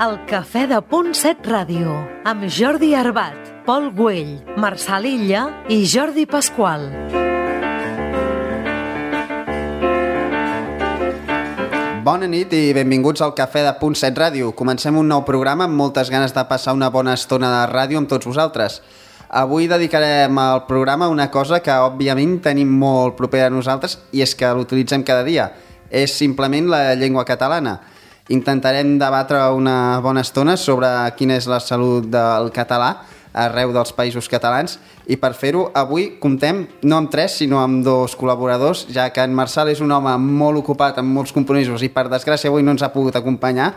El Cafè de Punt 7 Ràdio, amb Jordi Arbat, Pol Güell, Marçal Illa i Jordi Pasqual. Bona nit i benvinguts al Cafè de Punt 7 Ràdio. Comencem un nou programa amb moltes ganes de passar una bona estona de ràdio amb tots vosaltres. Avui dedicarem al programa una cosa que òbviament tenim molt propera a nosaltres i és que l'utilitzem cada dia. És simplement la llengua catalana. Intentarem debatre una bona estona sobre quina és la salut del català arreu dels països catalans i per fer-ho avui comptem no amb 3 sinó amb 2 col·laboradors, ja que en Marçal és un home molt ocupat amb molts compromisos i per desgràcia avui no ens ha pogut acompanyar,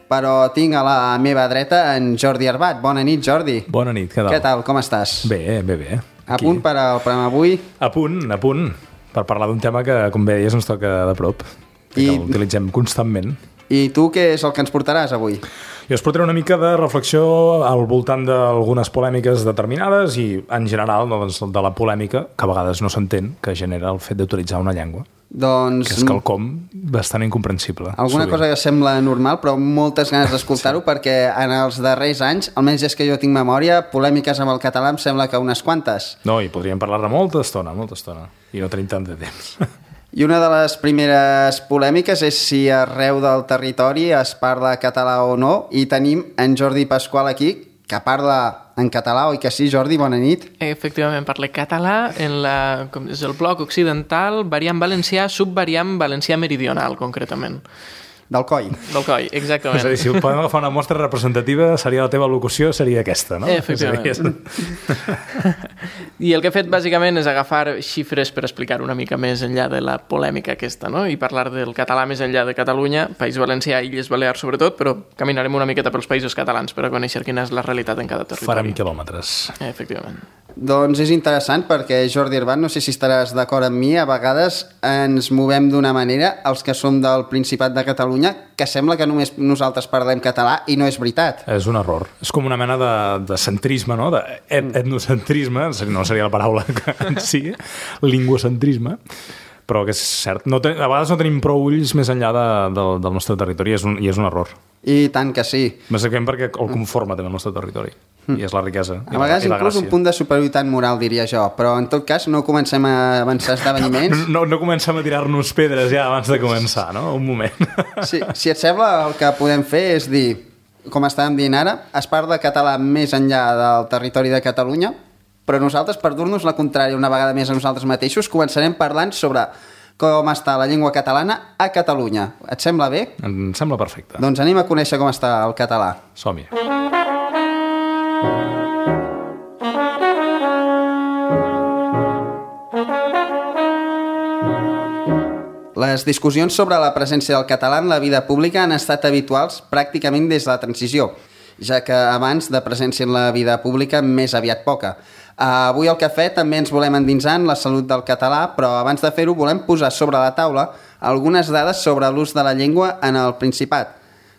però tinc a la meva dreta en Jordi Arbat. Bona nit, Jordi. Bona nit, què tal? Què tal, com estàs? Bé. A punt per al programa avui? A punt, per parlar d'un tema que, com bé deies, ens toca de prop, que l'utilitzem constantment. I tu què és el que ens portaràs avui? Jo us portaré una mica de reflexió al voltant d'algunes polèmiques determinades i, en general, doncs, de la polèmica, que a vegades no s'entén, que genera el fet d'utilitzar una llengua. Doncs... Que és quelcom bastant incomprensible. Alguna cosa que sembla normal, però moltes ganes d'escoltar-ho, sí. Perquè en els darrers anys, almenys és que jo tinc memòria, polèmiques amb el català em sembla que unes quantes. No, i podríem parlar-ne molta estona, i no tenim tant de temps. I una de les primeres polèmiques és si arreu del territori es parla català o no, i tenim en Jordi Pasqual aquí, que parla en català, oi que sí, Jordi? Bona nit. Efectivament, parla català és el bloc occidental, variant valencià, subvariant valencià meridional, concretament. Del coll. Del coll, exactament. És a dir, si podem agafar una mostra representativa, seria la teva locució, seria aquesta, no? Efectivament. I el que he fet, bàsicament, és agafar xifres per explicar una mica més enllà de la polèmica aquesta, no? I parlar del català més enllà de Catalunya, País Valencià i Illes Balears, sobretot, però caminarem una miqueta pels països catalans per a conèixer quina és la realitat en cada territori. Farem quilòmetres. Efectivament. Doncs és interessant perquè, Jordi Arbat, no sé si estaràs d'acord amb mi, a vegades ens movem d'una manera, els que som del Principat de Catalunya, que sembla que només nosaltres parlem català i no és veritat. És un error. És com una mena de centrisme, no? Etnocentrisme, no seria la paraula en si, lingüocentrisme, però que és cert. A vegades no tenim prou ulls més enllà del nostre territori i és un error. I tant que sí. Bàsicament perquè el conforma també el nostre territori. I és la riquesa. A vegades inclús un punt de superioritat moral, diria jo, però en tot cas no comencem a avançar esdeveniments. No comencem a tirar-nos pedres ja abans de començar, no? Un moment. Sí, si et sembla, el que podem fer és dir, com estàvem dient ara, es parla català més enllà del territori de Catalunya, però nosaltres, per dur-nos la contrària una vegada més a nosaltres mateixos, començarem parlant sobre com està la llengua catalana a Catalunya. Et sembla bé? Em sembla perfecte. Doncs anem a conèixer com està el català. Som-hi. Les discussions sobre la presència del català en la vida pública han estat habituals pràcticament des de la transició, ja que abans de presència en la vida pública més aviat poca. Avui al cafè també ens volem endinsar en la salut del català, però abans de fer-ho volem posar sobre la taula algunes dades sobre l'ús de la llengua en el Principat.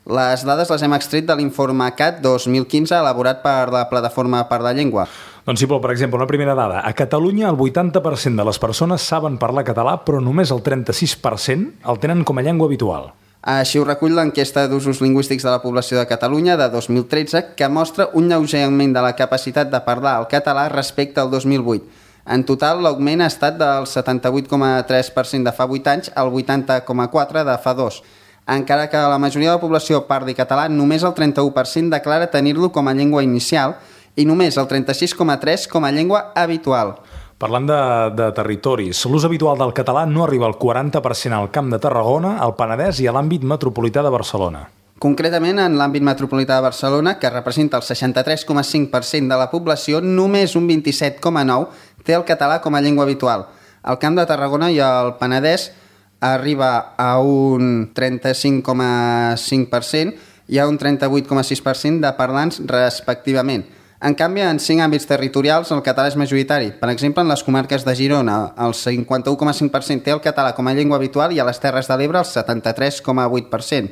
Les dades les hem extret de l'informe CAT 2015 elaborat per la Plataforma per la Llengua. Doncs sí, Pol, per exemple, una primera dada. A Catalunya el 80% de les persones saben parlar català, però només el 36% el tenen com a llengua habitual. Així ho recull l'enquesta d'usos lingüístics de la població de Catalunya de 2013, que mostra un lleuger augment de la capacitat de parlar el català respecte al 2008. En total, l'augment ha estat del 78,3% de fa 8 anys al 80,4% de fa 2. Encara que la majoria de la població parli català, només el 31% declara tenir-lo com a llengua inicial i només el 36,3% com a llengua habitual. Parlant de territoris, l'ús habitual del català no arriba al 40% al Camp de Tarragona, al Penedès i a l'àmbit metropolità de Barcelona. Concretament, en l'àmbit metropolità de Barcelona, que representa el 63,5% de la població, només un 27,9% té el català com a llengua habitual. Al Camp de Tarragona i al Penedès arriba a un 35,5% i a un 38,6% de parlants respectivament. En canvi, en 5 àmbits territorials el català és majoritari. Per exemple, en les comarques de Girona, el 51,5% té el català com a llengua habitual i a les Terres de l'Ebre el 73,8%.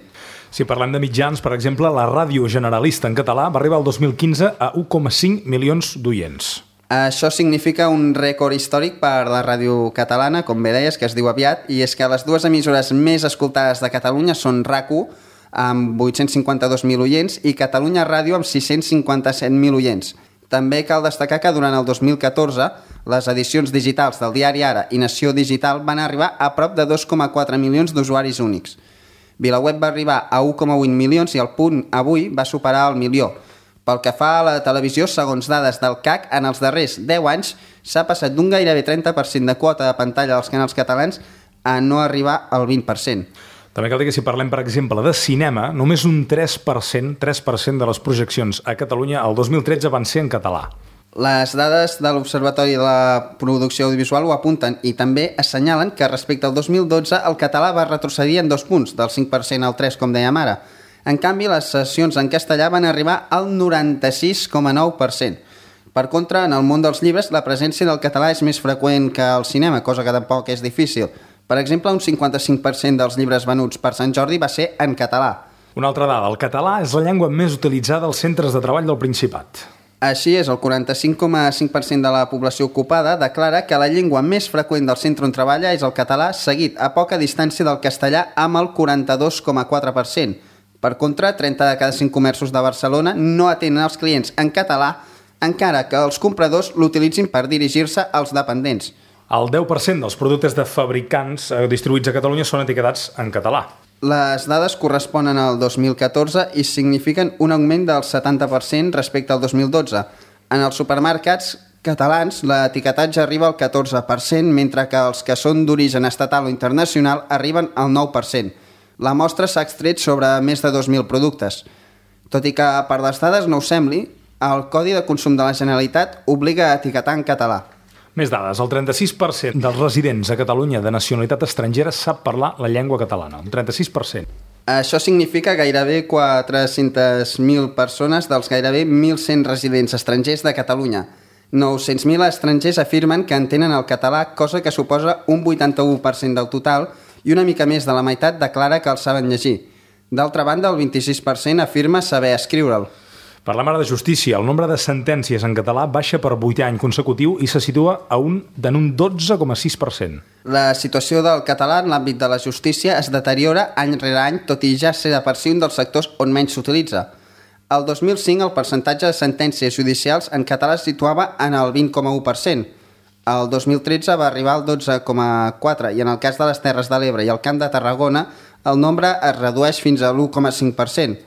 Si parlem de mitjans, per exemple, la ràdio generalista en català va arribar el 2015 a 1,5 milions d'oients. Això significa un rècord històric per la ràdio catalana, com bé deies, que es diu aviat, i és que les dues emissores més escoltades de Catalunya són RAC1, amb 852.000 oients, i Catalunya Ràdio amb 657.000 oients. També cal destacar que durant el 2014 les edicions digitals del diari Ara i Nació Digital van arribar a prop de 2,4 milions d'usuaris únics. VilaWeb va arribar a 1,8 milions i el Punt Avui va superar el milió. Pel que fa a la televisió, segons dades del CAC, en els darrers 10 anys s'ha passat d'un gairebé 30% de quota de pantalla dels canals catalans a no arribar al 20%. També cal dir que si parlem, per exemple, de cinema, només un 3% de les projeccions a Catalunya el 2013 van ser en català. Les dades de l'Observatori de la Producció Audiovisual ho apunten i també assenyalen que respecte al 2012 el català va retrocedir en 2 punts, del 5% al 3%, com dèiem ara. En canvi, les sessions en castellà van arribar al 96,9%. Per contra, en el món dels llibres, la presència del català és més freqüent que el cinema, cosa que tampoc és difícil. Per exemple, un 55% dels llibres venuts per Sant Jordi va ser en català. Una altra dada, el català és la llengua més utilitzada als centres de treball del Principat. Així és, el 45,5% de la població ocupada declara que la llengua més freqüent del centre on treballa és el català, seguit a poca distància del castellà amb el 42,4%. Per contra, 30 de cada 5 comerços de Barcelona no atenen els clients en català, encara que els compradors l'utilitzin per dirigir-se als dependents. El 10% dels productes de fabricants distribuïts a Catalunya són etiquetats en català. Les dades corresponen al 2014 i signifiquen un augment del 70% respecte al 2012. En els supermercats catalans l'etiquetatge arriba al 14%, mentre que els que són d'origen estatal o internacional arriben al 9%. La mostra s'ha extret sobre més de 2.000 productes. Tot i que per les dades no us sembli, el Codi de Consum de la Generalitat obliga a etiquetar en català. Més dades, el 36% dels residents a Catalunya de nacionalitat estrangera sap parlar la llengua catalana, un 36%. Això significa gairebé 400.000 persones dels gairebé 1.100 residents estrangers de Catalunya. 900.000 estrangers afirmen que entenen el català, cosa que suposa un 81% del total, i una mica més de la meitat declara que el saben llegir. D'altra banda, el 26% afirma saber escriure'l. Parlem ara de justícia. El nombre de sentències en català baixa per 8 any consecutiu i se situa en un 12,6%. La situació del català en l'àmbit de la justícia es deteriora any rere any, tot i ja ser de per si un dels sectors on menys s'utilitza. El 2005 el percentatge de sentències judicials en català es situava en el 20,1%. El 2013 va arribar al 12,4% i en el cas de les Terres de l'Ebre i el Camp de Tarragona el nombre es redueix fins a l'1,5%.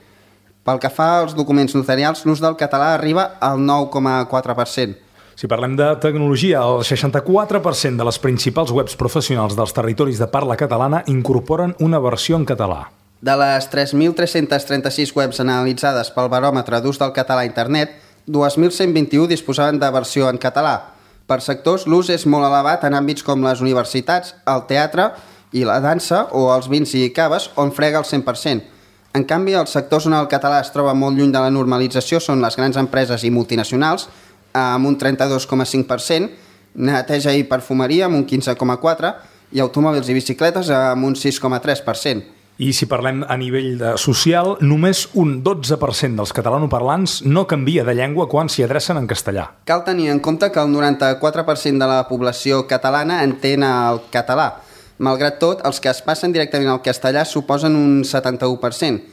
Pel que fa als documents notarials, l'ús del català arriba al 9,4%. Si parlem de tecnologia, el 64% de les principals webs professionals dels territoris de parla catalana incorporen una versió en català. De les 3.336 webs analitzades pel baròmetre d'ús del català a internet, 2.121 disposaven de versió en català. Per sectors, l'ús és molt elevat en àmbits com les universitats, el teatre i la dansa o els vins i caves, on frega el 100%. En canvi, els sectors on el català es troba molt lluny de la normalització són les grans empreses i multinacionals, amb un 32,5%, neteja i perfumeria amb un 15,4% i automòbils i bicicletes amb un 6,3%. I si parlem a nivell social, només un 12% dels catalanoparlants no canvia de llengua quan s'hi adrecen en castellà. Cal tenir en compte que el 94% de la població catalana entén el català. Malgrat tot, els que es passen directament al castellà suposen un 71%.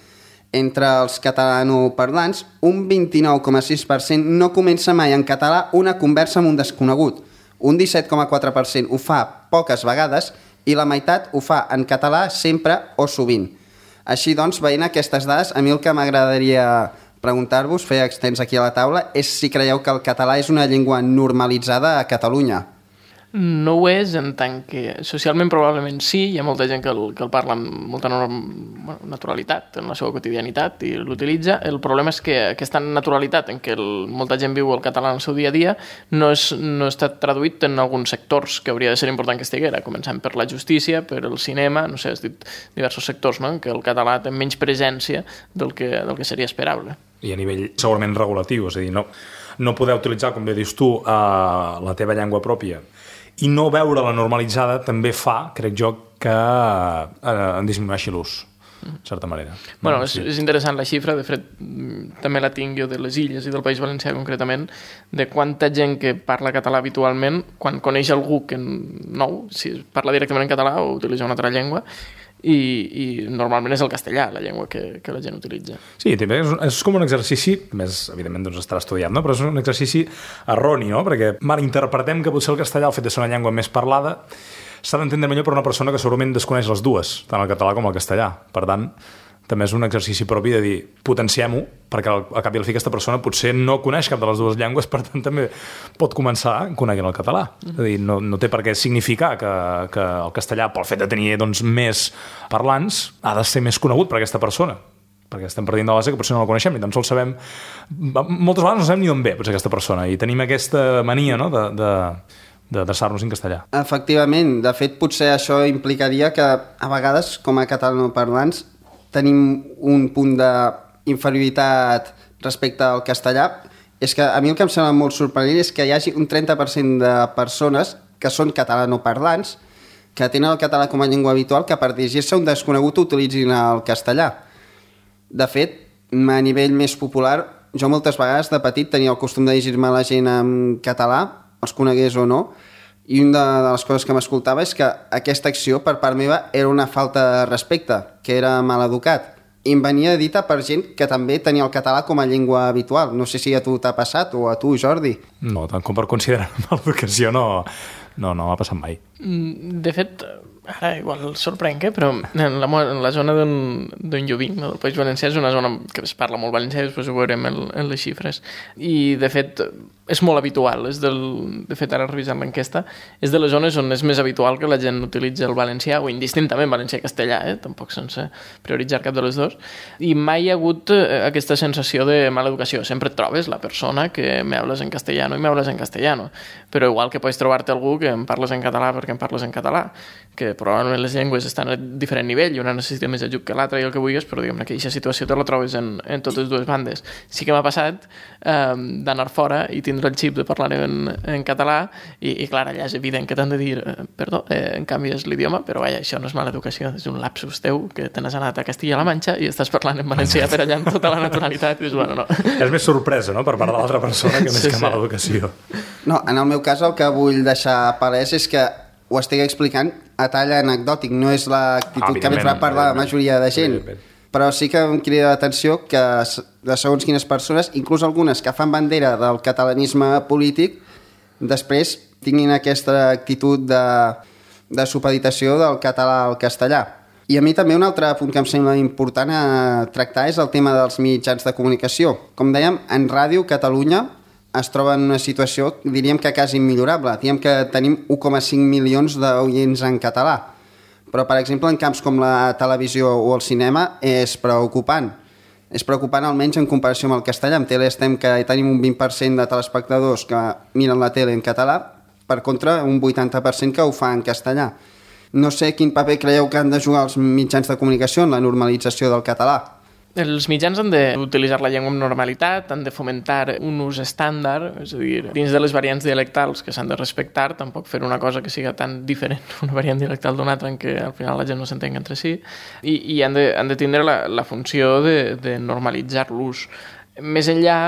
Entre els catalanoparlants, un 29,6% no comença mai en català una conversa amb un desconegut. Un 17,4% ho fa poques vegades i la meitat ho fa en català sempre o sovint. Així doncs, veient aquestes dades, a mi el que m'agradaria preguntar-vos, fer extens aquí a la taula, és si creieu que el català és una llengua normalitzada a Catalunya. No ho és, en tant que socialment probablement sí, hi ha molta gent que el parla amb molta naturalitat en la seva quotidianitat i l'utilitza. El problema és que aquesta naturalitat en què molta gent viu el català en el seu dia a dia no està traduït en alguns sectors que hauria de ser important que estiguera, començant per la justícia, per el cinema, no sé, has dit diversos sectors, no?, en què el català té menys presència del que seria esperable. I a nivell segurament regulatiu, és a dir, no poder utilitzar, com bé dius tu, la teva llengua pròpia i no veure-la normalitzada també fa, crec jo, que en disminueixi l'ús, de certa manera. Bueno, és interessant la xifra, de fet, també la tinc jo de les Illes i del País Valencià concretament, de quanta gent que parla català habitualment, quan coneix algú que nou, si parla directament en català o utilitza una altra llengua, i normalment és el castellà la llengua que la gent utilitza. Sí, també és com un exercici, més evidentment doncs estarà estudiat, no? Però és un exercici erroni, no? Perquè malinterpretem que potser el castellà, el fet de ser una llengua més parlada, s'ha d'entendre millor per una persona que segurament desconeix les dues, tant el català com el castellà. Per tant, també és un exercici propi de dir, potenciem-ho, perquè al cap i al fi aquesta persona potser no coneix cap de les dues llengües, per tant també pot començar coneguent el català. És a dir, no té per què significar que el castellà, pel fet de tenir doncs, més parlants, ha de ser més conegut per aquesta persona, perquè estem partint de la base que potser no la coneixem, ni tan sols sabem, moltes vegades no sabem ni d'on ve potser aquesta persona, i tenim aquesta mania, no?, d'adreçar-nos en castellà. Efectivament, de fet potser això implicaria que a vegades com a catalanoparlants tenim un punt d'inferioritat respecte al castellà. És que a mi el que em sembla molt sorprenent és que hi hagi un 30% de persones que són catalanoparlants, que tenen el català com a llengua habitual, que per dirigir-se a un desconegut utilitzin el castellà. De fet, a nivell més popular, jo moltes vegades de petit tenia el costum de dirigir-me a la gent en català, els conegués o no, i una de les coses que m'escoltava és que aquesta acció per part meva era una falta de respecte, que era mal educat. I em venia dita per gent que també tenia el català com a llengua habitual. No sé si a tu t'ha passat o a tu, Jordi. No, tant com per considerar mala educació no m'ha passat mai. De fet, ara igual sorprenc, però en la zona d'on jo vinc, del País Valencià, és una zona que es parla molt valencià, després ho veurem en les xifres. I, de fet, és molt habitual. De fet, ara revisant l'enquesta, és de les zones on és més habitual que la gent utilitzi el valencià, o indistintament valencià i castellà, tampoc sense prioritzar cap de les dues. I mai hi ha hagut aquesta sensació de mala educació. Sempre et trobes la persona que me hables en castellano i me hables en castellano. Però igual que pots trobar-te algú que em parles en català perquè em parles en català, que probablement les llengües estan a diferent nivell i una necessita més ajut que l'altra i el que vulguis, però diguem-ne que aquesta situació te la trobes en totes dues bandes. Sí que m'ha passat d'anar fora i tindre el xip de parlar en català i clar, allà és evident que t'han de dir perdó, en canvi és l'idioma, però vaja, això no és mala educació, és un lapsus teu que te n'has anat a Castilla-La Manxa i estàs parlant en valencià per allà amb tota la naturalitat i dius, bueno, no. És més sorpresa, no?, per part de l'altra persona que més que mala educació. No, en el meu cas el que vull deixar palès és que ho estic explicant a tall anecdòtic, no és l'actitud que més va parlar la majoria de gent. Però sí que em crida l'atenció que de segons quines persones, inclús algunes que fan bandera del catalanisme polític, després tinguin aquesta actitud de supeditació del català al castellà. I a mi també un altre punt que em sembla important a tractar és el tema dels mitjans de comunicació. Com dèiem, en Ràdio Catalunya es troba en una situació, diríem que quasi immillorable. Diríem que tenim 1,5 milions d'oients en català. Però, per exemple, en camps com la televisió o el cinema és preocupant. És preocupant almenys en comparació amb el castellà. En tele estem que tenim un 20% de telespectadors que miren la tele en català, per contra un 80% que ho fa en castellà. No sé quin paper creieu que han de jugar els mitjans de comunicació en la normalització del català. Els mitjans han d'utilitzar la llengua amb normalitat, han de fomentar un ús estàndard, és a dir, dins de les variants dialectals que s'han de respectar, tampoc fer una cosa que siga tan diferent una variant dialectal d'una altra en què al final la gent no s'entenga entre si, i han de tindre la funció de normalitzar l'ús. Més enllà,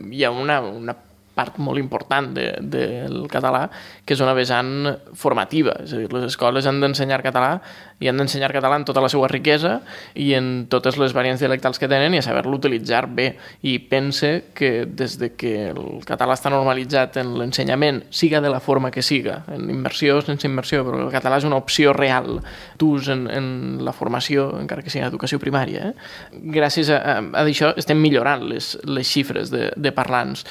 hi ha una part molt important del català, que és una vessant formativa. És a dir, les escoles han d'ensenyar català i han d'ensenyar català en tota la seva riquesa i en totes les variants dialectals que tenen i a saber-lo utilitzar bé. I pense que des de que el català està normalitzat en l'ensenyament, siga de la forma que siga, en immersió o sense immersió, però el català és una opció real d'ús en la formació, encara que sigui en educació primària. Gràcies a això estem millorant les xifres de parlants.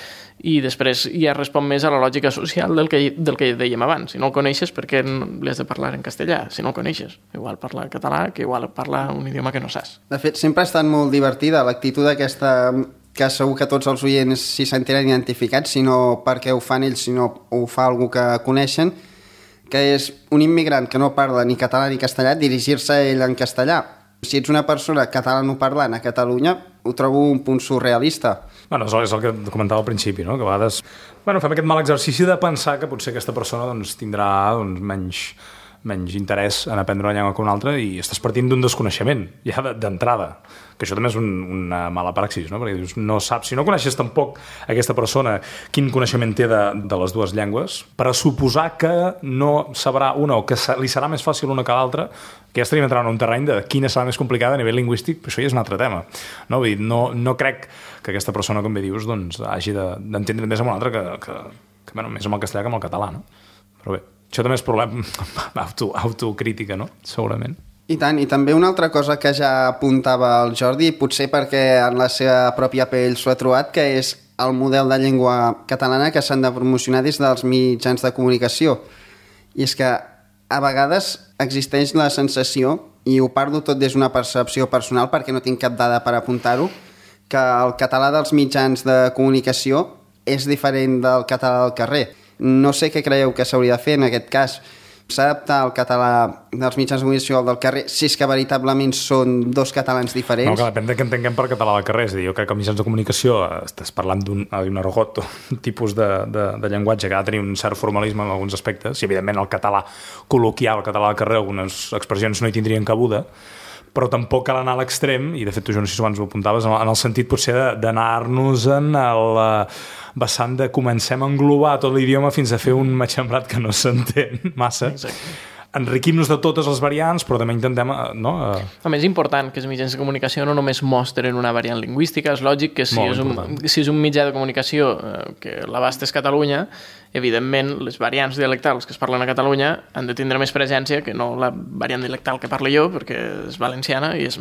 I després ja respon més a la lògica social del que dèiem abans. Si no el coneixes, per què li has de parlar en castellà? Si no el coneixes, igual parla català que igual parla un idioma que no saps. De fet, sempre ha estat molt divertida l'actitud aquesta que segur que tots els oients s'hi sentiran identificats, si no perquè ho fan ells, sinó ho fa algú que coneixen, que és un immigrant que no parla ni català ni castellà, dirigir-se a ell en castellà. Si ets una persona catalanoparlant a Catalunya, ho trobo un punt surrealista. Bueno, és el que comentava al principi, no? Que a vegades fem aquest mal exercici de pensar que potser aquesta persona tindrà menys menys interès en aprendre una llengua que una altra i estàs partint d'un desconeixement, ja d'entrada. Que això també és una mala praxis, no? Perquè dius, no saps, si no coneixes tampoc aquesta persona quin coneixement té de les dues llengües, per a suposar que no sabrà una o que li serà més fàcil una que l'altra, que ja estaríem entrant en un terreny de quina serà més complicada a nivell lingüístic, però això ja és un altre tema. No, vull dir, no crec que aquesta persona, com bé dius, doncs, hagi d'entendre més amb una altra que bueno, més amb el castellà que amb el català, no? Però bé, això també és problema autocrítica, no? Segurament. I tant, i també una altra cosa que ja apuntava el Jordi, potser perquè en la seva pròpia pell s'ho ha trobat, que és el model de llengua catalana que s'han de promocionar des dels mitjans de comunicació. I és que a vegades existeix la sensació, i ho parlo tot des d'una percepció personal perquè no tinc cap dada per apuntar-ho, que el català dels mitjans de comunicació és diferent del català del carrer. No sé què creieu que s'hauria de fer en aquest cas. S'ha d'adaptar el català dels mitjans de comunicació al del carrer si és que veritablement són dos catalans diferents? No, que depèn de què entenguem per català del carrer. És a dir, jo crec que als mitjans de comunicació estàs parlant d'un argot o un tipus de llenguatge que ha de tenir un cert formalisme en alguns aspectes, i evidentment el català col·loquial, el català del carrer, algunes expressions no hi tindrien cabuda, però tampoc cal anar a l'extrem, i de fet tu jo no sé si abans ho apuntaves, en el sentit potser d'anar-nos en el vessant de comencem a englobar tot l'idioma fins a fer un matxembrat que no s'entén massa. Exacte. Enriquim-nos de totes les variants, però també intentem... No? A més, és important que els mitjans de comunicació no només mostren una variant lingüística. És lògic que si és un mitjà de comunicació que l'abast és Catalunya, evidentment les variants dialectals que es parlen a Catalunya han de tindre més presència que no la variant dialectal que parlo jo, perquè és valenciana i és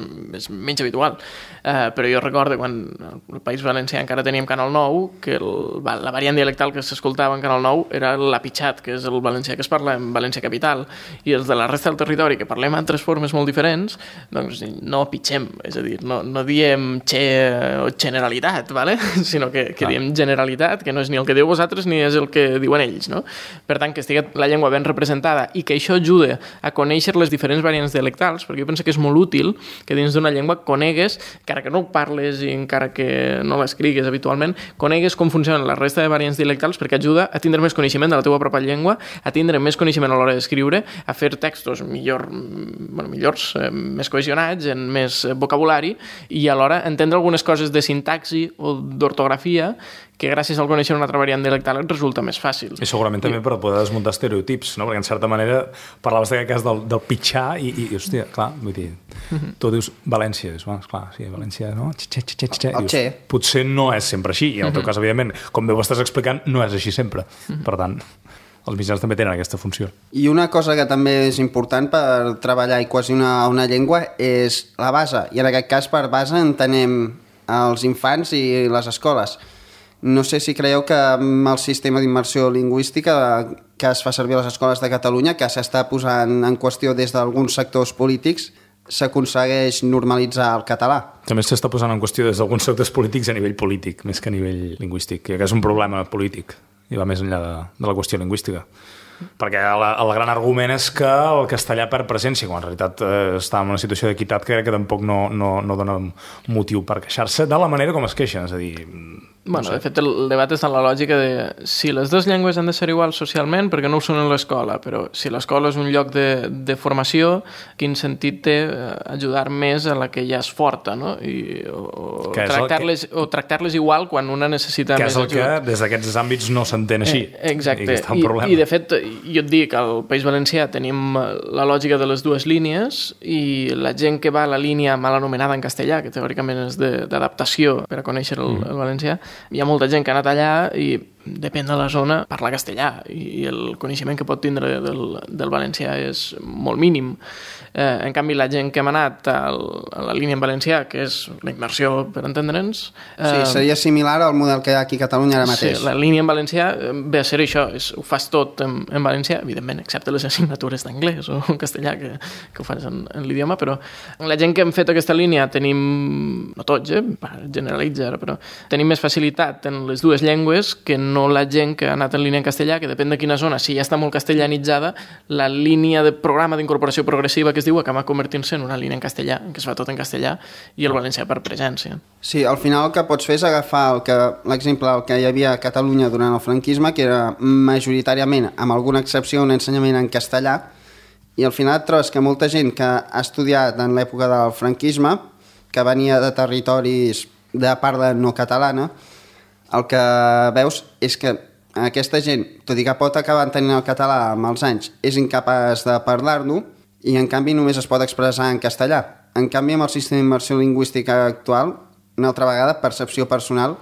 menys habitual. Però jo recordo quan al País Valencià encara teníem Canal 9, que la variant dialectal que s'escoltava en Canal 9 era l'apitxat, que és el valencià que es parla en València Capital, i els de la resta del territori que parlem altres formes molt diferents, doncs no pitxem, és a dir, no diem xe o generalitat, ¿vale? Sinó que diem generalitat, que no és ni el que diu vosaltres ni és el que diuen ells, no? Per tant, que estigui la llengua ben representada i que això ajude a conèixer les diferents variants dialectals, perquè jo penso que és molt útil que dins d'una llengua conegues, encara que no ho parles i encara que no l'escrigues habitualment, conegues com funcionen la resta de variants dialectals, perquè ajuda a tindre més coneixement de la teva pròpia llengua, a tindre més coneixement a l'hora d'escriure, a fer textos millors, més cohesionats, en més vocabulari, i alhora entendre algunes coses de sintaxi o d'ortografia que gràcies al conèixer una altra variant dialectal et resulta més fàcil. I segurament també per poder desmuntar estereotips, no? Perquè en certa manera parlaves d'aquest cas del pitxar i hòstia, clar, vull dir, tu dius València, dius, clar, sí, València, no? Dius, potser no és sempre així, i en el teu cas, evidentment, com bé ho estàs explicant, no és així sempre. Per tant, els mitjans també tenen aquesta funció. I una cosa que també és important per treballar i cohesionar una llengua és la base, i en aquest cas per base entenem els infants i les escoles. No sé si creieu que amb el sistema d'immersió lingüística que es fa servir a les escoles de Catalunya, que s'està posant en qüestió des d'alguns sectors polítics, s'aconsegueix normalitzar el català. També s'està posant en qüestió des d'alguns sectors polítics a nivell polític, més que a nivell lingüístic, que és un problema polític i va més enllà de la qüestió lingüística. Perquè el gran argument és que el castellà perd presència, quan en realitat està en una situació d'equitat que crec que tampoc no dona motiu per queixar-se de la manera com es queixen, és a dir... Bueno, de fet, el debat és en la lògica de si les dues llengües han de ser iguals socialment, perquè no ho són en l'escola, però si l'escola és un lloc de formació, quin sentit té ajudar més a la que ja és forta, no? O tractar-les igual quan una necessita més ajuda. Que és el que des d'aquests àmbits no s'entén així. Exacte. I de fet, jo et dic, al País Valencià tenim la lògica de les dues línies i la gent que va a la línia mal anomenada en castellà, que teòricament és d'adaptació per a conèixer el valencià, hi ha molta gent que ha anat allà i depèn de la zona, parla castellà i el coneixement que pot tindre del valencià és molt mínim. En canvi, la gent que hem anat a la línia en valencià, que és la immersió, per entendre'ns... Sí, seria similar al model que hi ha aquí a Catalunya ara mateix. Sí, la línia en valencià ve a ser això, ho fas tot en valencià, evidentment, excepte les assignatures d'anglès o en castellà, que ho fas en l'idioma, però la gent que hem fet aquesta línia tenim, no tots, generalitza ara, però tenim més facilitat en les dues llengües que no la gent que ha anat en línia en castellà, que depèn de quina zona, si ja està molt castellanitzada, la línia de programa d'incorporació progressiva que es diu acaba convertint-se en una línia en castellà, que es fa tot en castellà, i el valencià per presència. Sí, al final el que pots fer és agafar l'exemple del que hi havia a Catalunya durant el franquisme, que era majoritàriament, amb alguna excepció, un ensenyament en castellà, I al final et trobes que molta gent que ha estudiat en l'època del franquisme, que venia de territoris de parla no catalana, el que veus és que aquesta gent, tot i que pot acabar entenent el català amb els anys, és incapaç de parlar-lo i en canvi només es pot expressar en castellà. En canvi, amb el sistema d'immersió lingüística actual, una altra vegada, percepció personal,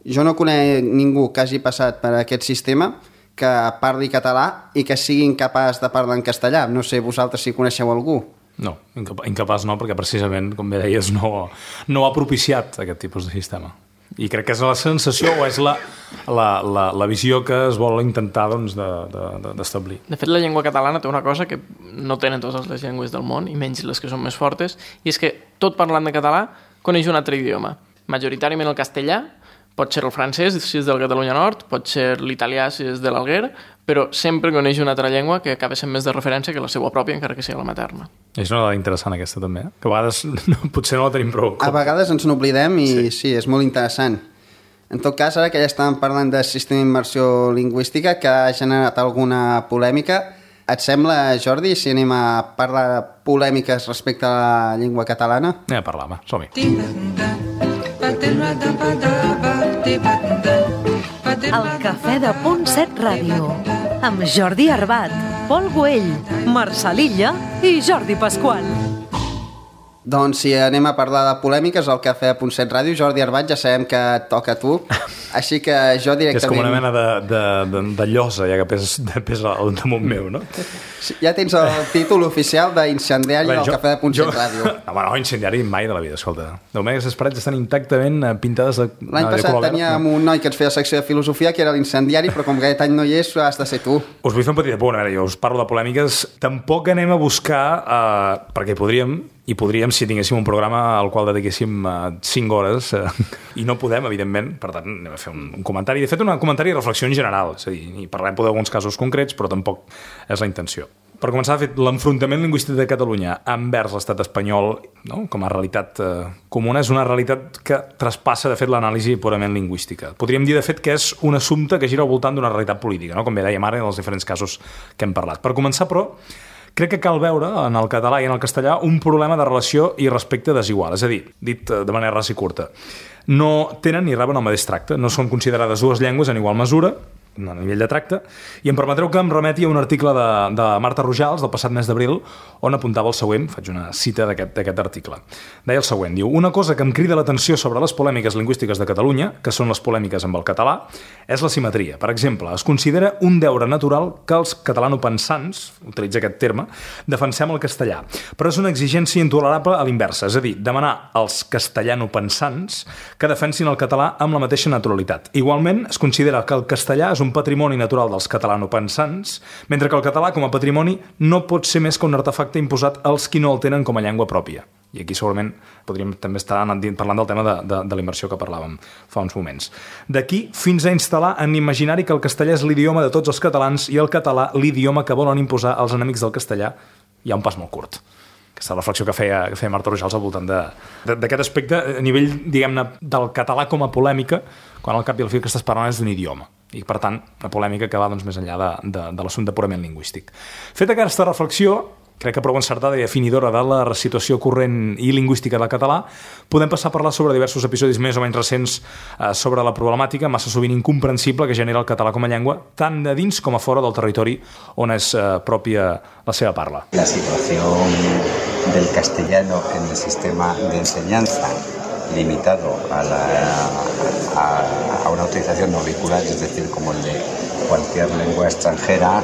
jo no conec ningú que hagi passat per aquest sistema que parli català i que sigui incapaç de parlar en castellà. No sé, vosaltres si coneixeu algú. No, incapaç no, perquè precisament, com bé deies, no ha propiciat aquest tipus de sistema. I crec que és la sensació o és la visió que es vol intentar doncs, d'establir. De fet, la llengua catalana té una cosa que no tenen totes les llengües del món, i menys les que són més fortes, i és que tot parlant de català coneix un altre idioma. Majoritàriament el castellà, pot ser el francès, si és del Catalunya Nord, pot ser l'italià, si és de l'Alguer, però sempre coneix una altra llengua que acaba sent més de referència que la seva pròpia, encara que sigui la materna. És una dada interessant aquesta també, que a vegades potser no la tenim prou. A vegades ens n'oblidem i sí, és molt interessant. En tot cas, ara que ja estàvem parlant de sistema d'immersió lingüística que ha generat alguna polèmica, et sembla, Jordi, si anem a parlar de polèmiques respecte a la llengua catalana? Anem a parlar, va, som-hi. El Cafè de Punt 7 Ràdio, amb Jordi Arbat, Pol Güell, Marçal Illa i Jordi Pasqual. Doncs si anem a parlar de polèmiques al Cafè de Punt 7 Ràdio, Jordi Arbat, ja sabem que et toca a tu, així que jo directament... És com una mena de llosa, ja que pesa al damunt meu, no? Ja tens el títol oficial d'incendiari del Cafè de Punt 7 Ràdio. No, incendiari mai de la vida, escolta. De moment aquestes parets estan intactament pintades de color verd. L'any passat teníem un noi que ens feia secció de filosofia que era l'incendiari, però com que aquest any no hi és, has de ser tu. Us vull fer un petit apunt, a veure, jo us parlo de polèmiques. Tampoc anem a buscar, perquè podríem si tinguéssim un programa al qual dediquéssim 5 hores, i no podem, evidentment, per tant, anem a fer un comentari. De fet, un comentari de reflexió en general, és a dir, i parlem d'alguns casos concrets, però tampoc és la intenció. Per començar, de fet, l'enfrontament lingüístic de Catalunya envers l'estat espanyol, no? Com a realitat comuna, és una realitat que traspassa, de fet, l'anàlisi purament lingüística. Podríem dir, de fet, que és un assumpte que gira al voltant d'una realitat política, no? Com bé dèiem ara en els diferents casos que hem parlat. Per començar, però, crec que cal veure en el català i en el castellà un problema de relació i respecte desigual, és a dir, dit de manera rasa i curta. No tenen ni reben el mateix tracte, no són considerades dues llengües en igual mesura, a nivell de tracte, i em permetreu que em remeti a un article de Marta Rojals del passat mes d'abril on apuntava el següent, faig una cita d'aquest article. Deia el següent, diu: una cosa que em crida l'atenció sobre les polèmiques lingüístiques de Catalunya, que són les polèmiques amb el català, és la simetria. Per exemple, es considera un deure natural que els catalanopensants, utilitza aquest terme, defensem el castellà, però és una exigència intolerable a l'inversa, és a dir, demanar als castellanopensants que defensin el català amb la mateixa naturalitat. Igualment, es considera que el castellà és un patrimoni natural dels catalanopensants, mentre que el català com a patrimoni no pot ser més que un artefacte imposat als qui no el tenen com a llengua pròpia. I aquí segurament podríem també estar parlant del tema de la immersió que parlàvem fa uns moments. D'aquí fins a instal·lar en l'imaginari que el castellà és l'idioma de tots els catalans i el català l'idioma que volen imposar als enemics del castellà. Hi ha un pas molt curt. Aquesta reflexió que feia Marta Rojals al voltant d'aquest aspecte a nivell, diguem-ne, del català com a polèmica, quan al cap i al fi el que estàs parlant és d'un idioma. I, per tant, una polèmica que va doncs, més enllà de l'assumpte purament lingüístic. Feta aquesta reflexió, crec que prou encertada i definidora de la situació corrent i lingüística del català, podem passar a parlar sobre diversos episodis més o menys recents sobre la problemàtica massa sovint incomprensible que genera el català com a llengua, tant de dins com a fora del territori on és pròpia la seva parla. La situació del castellano en el sistema de enseñanza limitado a una utilización no vehicular, es decir, como el de cualquier lengua extranjera,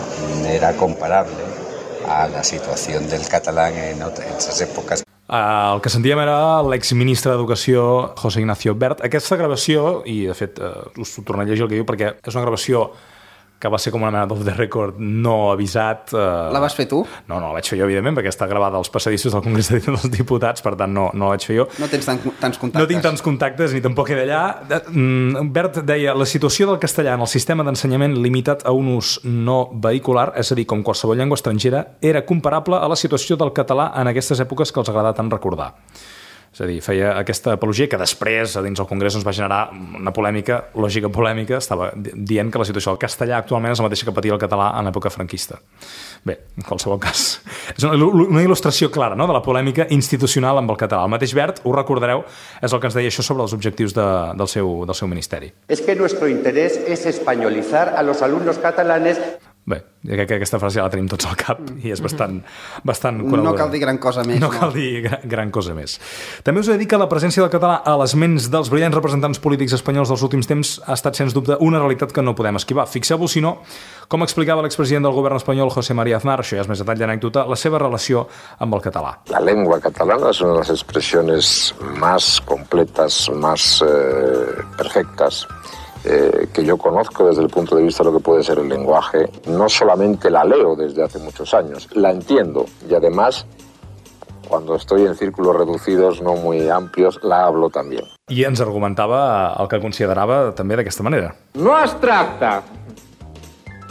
era comparable a la situación del catalán en esas épocas. El que sentíem era l'exministre d'Educació, José Ignacio Wert. Aquesta gravació, i de fet us ho tornaré a llegir el que diu, perquè és una gravació que va ser com una mena d'off the record no avisat. La vas fer tu? No, la vaig fer jo, evidentment, perquè està gravada als passadissos del Congrés dels Diputats, per tant no la vaig fer jo. No tens tants contactes. No tinc tants contactes, ni tampoc he d'allà. Bert deia, la situació del castellà en el sistema d'ensenyament limitat a un ús no vehicular, és a dir, com qualsevol llengua estrangera, era comparable a la situació del català en aquestes èpoques que els agrada tant recordar. És a dir, feia aquesta apologia que després, a dins del Congrés, va generar una polèmica, lògica polèmica, estava dient que la situació del castellà actualment és la mateixa que patia el català en l'època franquista. Bé, en qualsevol cas, és una il·lustració clara, no?, de la polèmica institucional amb el català. El mateix Wert, ho recordareu, és el que ens deia això sobre els objectius del seu ministeri. Es que nuestro interés es españolizar a los alumnos catalanes. Bé, crec que aquesta frase ja la tenim tots al cap i és bastant coneguda. No cal dir gran cosa més. No cal dir gran cosa més. També us he de dir que la presència del català a les ments dels brillants representants polítics espanyols dels últims temps ha estat, sens dubte, una realitat que no podem esquivar. Fixeu-vos, si no, com explicava l'expresident del govern espanyol, José María Aznar, això ja és més detall d'anècdota, la seva relació amb el català. La lengua catalana es una de las expresiones más completas, más perfectas que yo conozco desde el punto de vista de lo que puede ser el lenguaje. No solamente la leo desde hace muchos años, la entiendo y además, cuando estoy en círculos reducidos, no muy amplios, la hablo también. I ens argumentava el que considerava també d'aquesta manera. No es tracta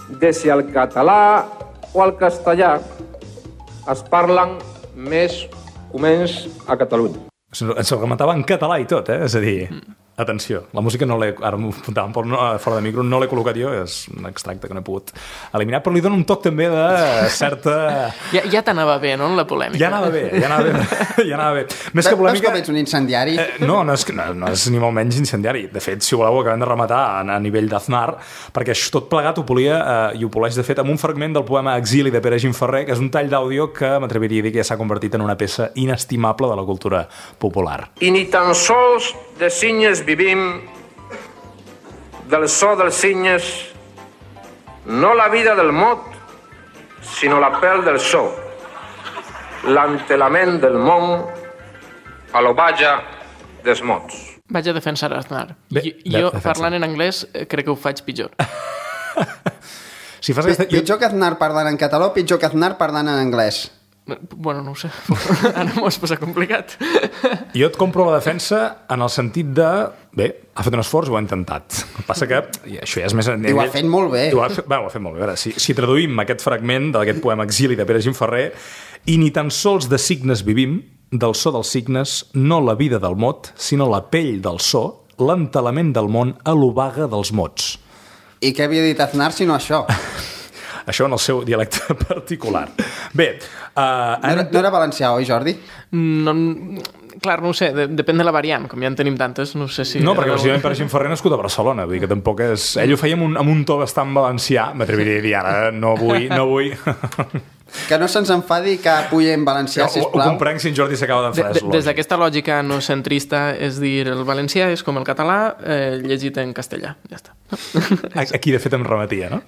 de si el català o el castellà es parlen més o menys a Catalunya. Ens argumentava en català i tot, És a dir, atenció, la música no l'he... Ara m'ho apuntava fora de micro, no l'he col·locat jo, és un extracte que no he pogut eliminar, però li dona un toc també de certa... Ja t'anava bé, no?, la polèmica. Ja anava bé. Més que polèmica... Veus com ets un incendiari? No és ni molt menys incendiari. De fet, si voleu, ho acabem de rematar a nivell d'Aznar, perquè tot plegat ho polia i ho poleix, de fet, amb un fragment del poema Exili de Pere Gimferrer, que és un tall d'àudio que m'atreviria a dir que ja s'ha convertit en una peça inestimable de la cultura popular. I ni tan sols de cinyes vivim, del so dels cinyes, no la vida del mot, sinó la pèl del so, l'entelament del món a l'ovatge dels mots. Vaig a defensar Aznar. Jo, parlant en anglès, crec que ho faig pitjor. Si fas aquesta... Pitjor que Aznar parlant en català o pitjor que Aznar parlant en anglès? Bueno, no ho sé. Ara m'ho has posat complicat. Jo et compro la defensa en el sentit de... Bé, ha fet un esforç, ho ha intentat. El que passa que això ja és més... I ho ha fet molt bé. Ho ha fet molt bé. A veure, si traduïm aquest fragment d'aquest poema Exili de Pere Gimferrer, i ni tan sols de signes vivim, del so dels signes, no la vida del mot, sinó la pell del so, l'entelament del món a l'obaga dels mots. I què havia dit Aznar si no això? Això en el seu dialecte particular. Bé... No era valencià, oi, Jordi? No, clar, no ho sé, depèn de la variant, com ja en tenim tantes, no sé si... No, perquè precisament Pere Gimferrer nascut a Barcelona, vull dir que tampoc és... Ell ho feia amb un to bastant valencià, m'atreviria a dir ara, no vull... Que no se'ns enfadi que pugui en valencià, sisplau. Ho comprenc si en Jordi s'acaba d'enfadar. Des d'aquesta lògica no centrista, és dir, el valencià és com el català llegit en castellà, ja està. Aquí, de fet, em remetia, no?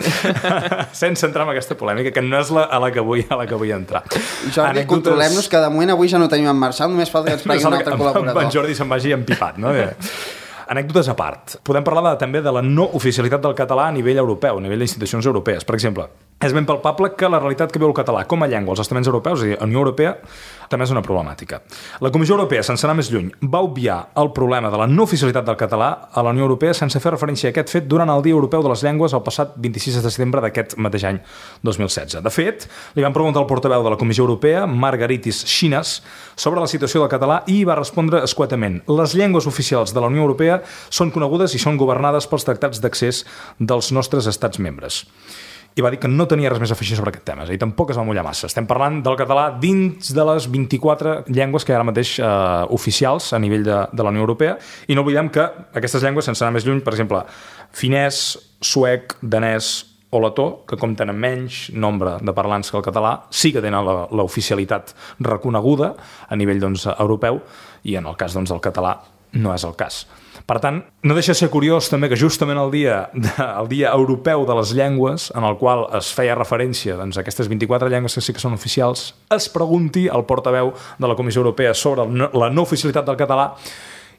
Sense entrar en aquesta polèmica, que no és a la que vull entrar. Jordi, controlem-nos, que de moment avui ja no tenim en Marçal, només falta que ens pregui un altre col·laborador. En Jordi se'n vagi empipat, no? Anècdotes a part. Podem parlar també de la no oficialitat del català a nivell europeu, a nivell d'institucions europees. Per exemple, és ben palpable que la realitat que viu el català com a llengua als estaments europeus, és a dir, a la Unió Europea, també és una problemàtica. La Comissió Europea, sense anar més lluny, va obviar el problema de la no oficialitat del català a la Unió Europea sense fer referència a aquest fet durant el Dia Europeu de les Llengües el passat 26 de setembre d'aquest mateix any 2016. De fet, li van preguntar al portaveu de la Comissió Europea, Margaritis Schinas, sobre la situació del català i va respondre escuetament: les llengües oficials de la Unió Europea són conegudes i són governades pels tractats d'accés dels nostres estats membres. I va dir que no tenia res més a afegir sobre aquest tema, és a dir, tampoc es va mullar massa. Estem parlant del català dins de les 24 llengües que hi ha ara mateix oficials a nivell de la Unió Europea, i no oblidem que aquestes llengües, sense anar més lluny, per exemple, finès, suec, danès o letó, que compten amb menys nombre de parlants que el català, sí que tenen l'oficialitat reconeguda a nivell europeu, i en el cas del català no és el cas. Per tant, no deixa de ser curiós també que justament el dia europeu de les llengües, en el qual es feia referència a aquestes 24 llengües que sí que són oficials, es pregunti al portaveu de la Comissió Europea sobre la no oficialitat del català.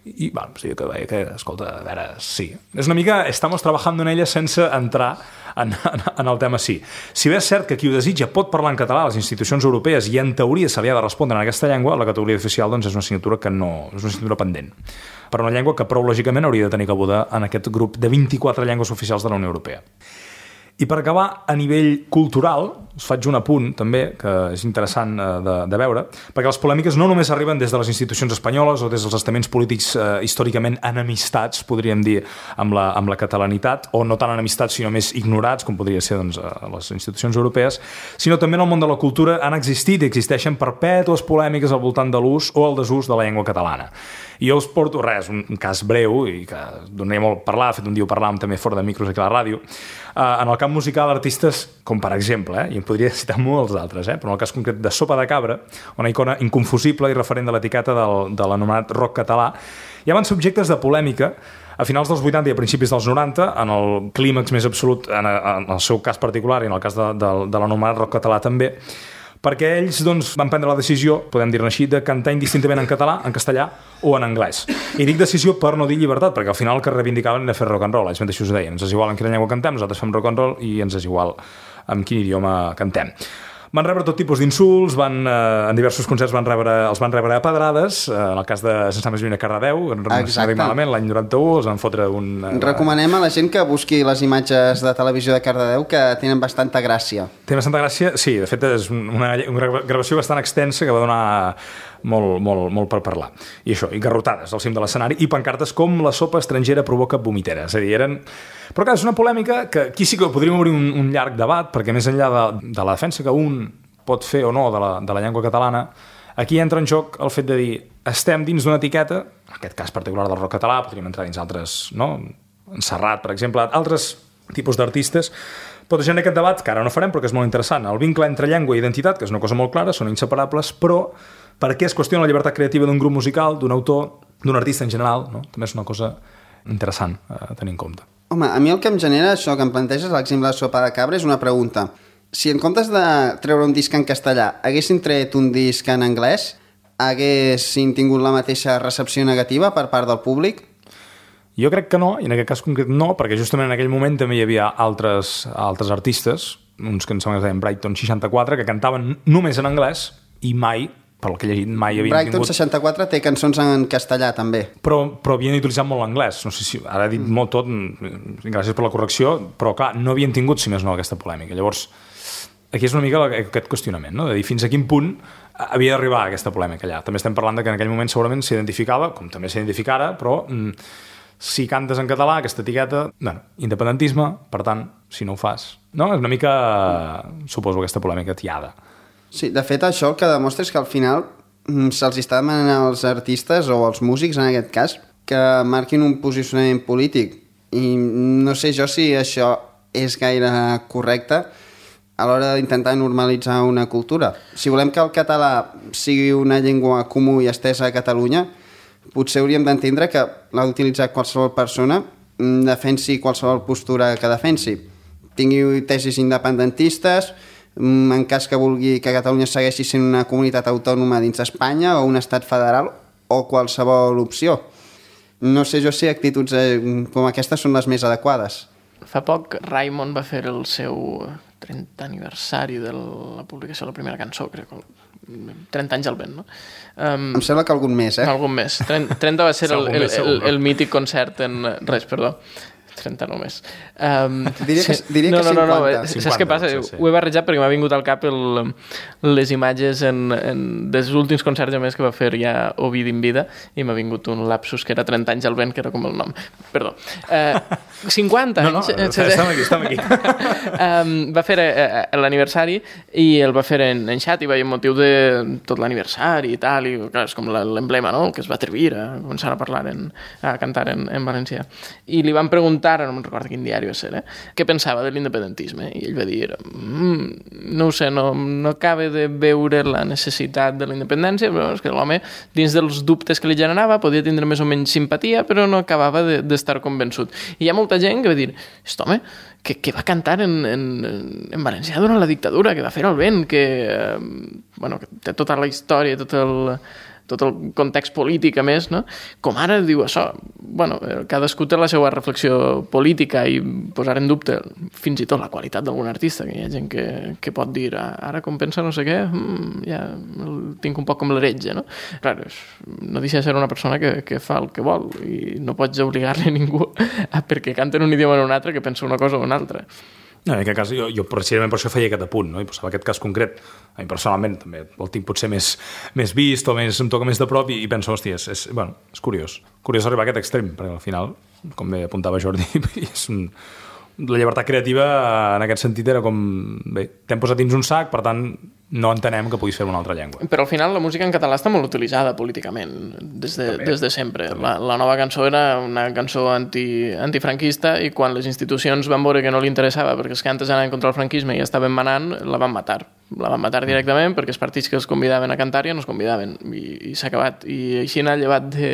I, bueno, sí, que escolta, a veure, sí. És una mica, estamos trabajando en ella sense entrar en el tema sí. Si bé és cert que qui ho desitja pot parlar en català a les institucions europees i en teoria se li ha de respondre en aquesta llengua, la categoria oficial és una assignatura que no, és una assignatura pendent. Per una llengua que prou lògicament hauria de tenir cabuda en aquest grup de 24 llengües oficials de la Unió Europea. I per acabar, a nivell cultural, us faig un apunt, també, que és interessant de veure, perquè les polèmiques no només arriben des de les institucions espanyoles o des dels estaments polítics històricament enemistats, podríem dir, amb la catalanitat, o no tan enemistats, sinó més ignorats, com podria ser doncs, a les institucions europees, sinó també en el món de la cultura han existit i existeixen perpètues polèmiques al voltant de l'ús o el desús de la llengua catalana. I jo us porto un cas breu, i que donaria molt a parlar, de fet un dia ho parlàvem també fora de micros aquí a la ràdio. En el camp musical, artistes com per exemple, i en podria citar molts altres, però en el cas concret de Sopa de Cabra, una icona inconfusible i referent de l'etiqueta de l'anomenat rock català, ja van ser objectes de polèmica a finals dels 80 i a principis dels 90, en el clímax més absolut, en el seu cas particular i en el cas de l'anomenat rock català també, perquè ells doncs, van prendre la decisió, podem dir-ne així, de cantar indistintament en català, en castellà o en anglès. I dic decisió per no dir llibertat, perquè al final el que reivindicaven era fer rock and roll, ells mateixos ho deien, ens és igual en quina llengua cantem, nosaltres fem rock and roll i ens és igual en quin idioma cantem. Van rebre tot tipus d'insults, en diversos concerts els van rebre a pedrades, en el cas de Sense més lluny a Cardedeu, malament, l'any 91, els van fotre un... Recomanem a la gent que busqui les imatges de televisió de Cardedeu, que tenen bastanta gràcia. Té bastanta gràcia, sí, de fet és una gravació bastant extensa que va donar molt per parlar. I això, i garrotades al cim de l'escenari, i pancartes com la sopa estrangera provoca vomitera. És a dir, Però clar, és una polèmica que aquí sí que podríem obrir un llarg debat, perquè més enllà de la defensa que un pot fer o no de la llengua catalana, aquí entra en joc el fet de dir estem dins d'una etiqueta, en aquest cas particular del rock català, podríem entrar dins altres, no? En Serrat, per exemple, altres tipus d'artistes, pot generar aquest debat, que ara no farem, però que és molt interessant. El vincle entre llengua i identitat, que és una cosa molt clara, són inseparables, però per què es qüestiona la llibertat creativa d'un grup musical, d'un autor, d'un artista en general, no? També és una cosa interessant a tenir en compte. Home, a mi el que em genera això que em planteges, l'exemple de Sopa de Cabra, és una pregunta. Si en comptes de treure un disc en castellà haguessin tret un disc en anglès, haguessin tingut la mateixa recepció negativa per part del públic? Jo crec que no, i en aquest cas concret no, perquè justament en aquell moment també hi havia altres artistes, uns que em sembla que es deien Brighton 64, que cantaven només en anglès i mai, pel que he llegit, mai havien Brighton 64 té cançons en castellà també. Però havien utilitzat molt l'anglès. No sé si ara he dit molt tot, gràcies per la correcció, però clar, no havien tingut, si més no, aquesta polèmica. Llavors, aquí és una mica aquest qüestionament, no? De dir fins a quin punt havia d'arribar aquesta polèmica allà. També estem parlant de que en aquell moment segurament s'identificava, com també s'identifica ara, però si cantes en català, aquesta etiqueta, independentisme, per tant, si no ho fas. No? És una mica, suposo, aquesta polèmica tiada. Sí, de fet, això el que demostra és que al final se'ls està demanant als artistes o als músics, en aquest cas, que marquin un posicionament polític. I no sé jo si això és gaire correcte a l'hora d'intentar normalitzar una cultura. Si volem que el català sigui una llengua comú i estesa a Catalunya, potser hauríem d'entendre que l'ha d'utilitzar qualsevol persona, defensi qualsevol postura que defensi. Tingui tesis independentistes, en cas que vulgui que Catalunya segueixi sent una comunitat autònoma dins d'Espanya o un estat federal o qualsevol opció. No sé jo si actituds com aquestes són les més adequades. Fa poc Raimon va fer el seu 30 aniversari de la publicació de la primera cançó, crec, 30 anys al vent, no? Em sembla que algun més, Algun més. 30 va ser el mític concert en... Res, perdó. 30 només. Diria que 50. No. Saps què passa? Sí. Ho he barrejat perquè m'ha vingut al cap les imatges dels últims concerts a més que va fer ja Ovidi en vida i m'ha vingut un lapsus que era 30 anys al vent, que era com el nom. Perdó. 50 anys. No, estem aquí. Va fer l'aniversari i el va fer en xat i va amb motiu de tot l'aniversari i tal, i clar, és com l'emblema, no?, que es va atrevir a començar a parlar, a cantar en valencià. I li van preguntar, no me'n recordo quin diari va ser, què pensava de l'independentisme, i ell va dir no ho sé, no acaba de veure la necessitat de la independència, però és que l'home, dins dels dubtes que li generava, podia tindre més o menys simpatia, però no acabava d'estar convençut. I hi ha molta gent que va dir, aquest home que va cantar en valencià durant la dictadura, que va fer el vent, que té tota la història, tot el context polític, a més, no? Com ara diu això. Cadascú té la seva reflexió política i posar en dubte fins i tot la qualitat d'algun artista, que hi ha gent que pot dir ara com pensa no sé què, ja el tinc un poc com l'heretge, no? Clar, no deixa de ser una persona que fa el que vol i no pots obligar-li a ningú perquè canta en un idioma o en un altre que pensa una cosa o una altra. No, en aquest cas, jo precisament per això feia aquest apunt, no? I posava aquest cas concret. A mi personalment també el tinc potser més vist o em toca més de prop i penso, hòstia, és curiós. Curiós arribar a aquest extrem, perquè al final, com bé apuntava Jordi, la llibertat creativa en aquest sentit era com, bé, t'hem posat dins un sac, per tant, no entenem que puguis fer una altra llengua. Però al final la música en català està molt utilitzada políticament, des de sempre. La nova cançó era una cançó antifranquista i quan les institucions van veure que no li interessava perquè els cantes anaven contra el franquisme i estaven manant, la van matar. La van matar directament perquè els partits que els convidaven a cantar ja no els convidaven i s'ha acabat. I així n'ha llevat de,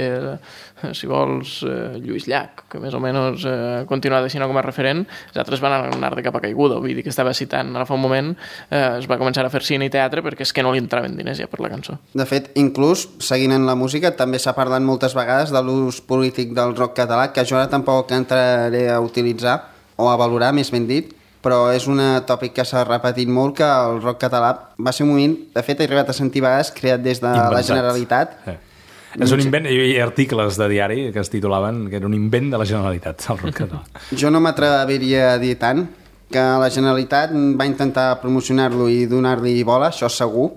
si vols, Lluís Llach, que més o menys continua deixant com a referent. Els altres van anar de capa caiguda, vull dir que estava citant ara fa un moment, es va començar a fer cine i teatre perquè és que no li entraven diners ja per la cançó. De fet, inclús, seguint en la música, també s'ha parlat moltes vegades de l'ús polític del rock català, que jo ara tampoc entraré a utilitzar o a valorar, més ben dit, però és un tòpic que s'ha repetit molt, que el rock català va ser un moment, de fet he arribat a sentir vegades, creat des de la Generalitat. És un invent, hi ha articles de diari que es titulaven que era un invent de la Generalitat, el rock català. Jo no m'atreviria a dir tant, que la Generalitat va intentar promocionar-lo i donar-li bola, això segur,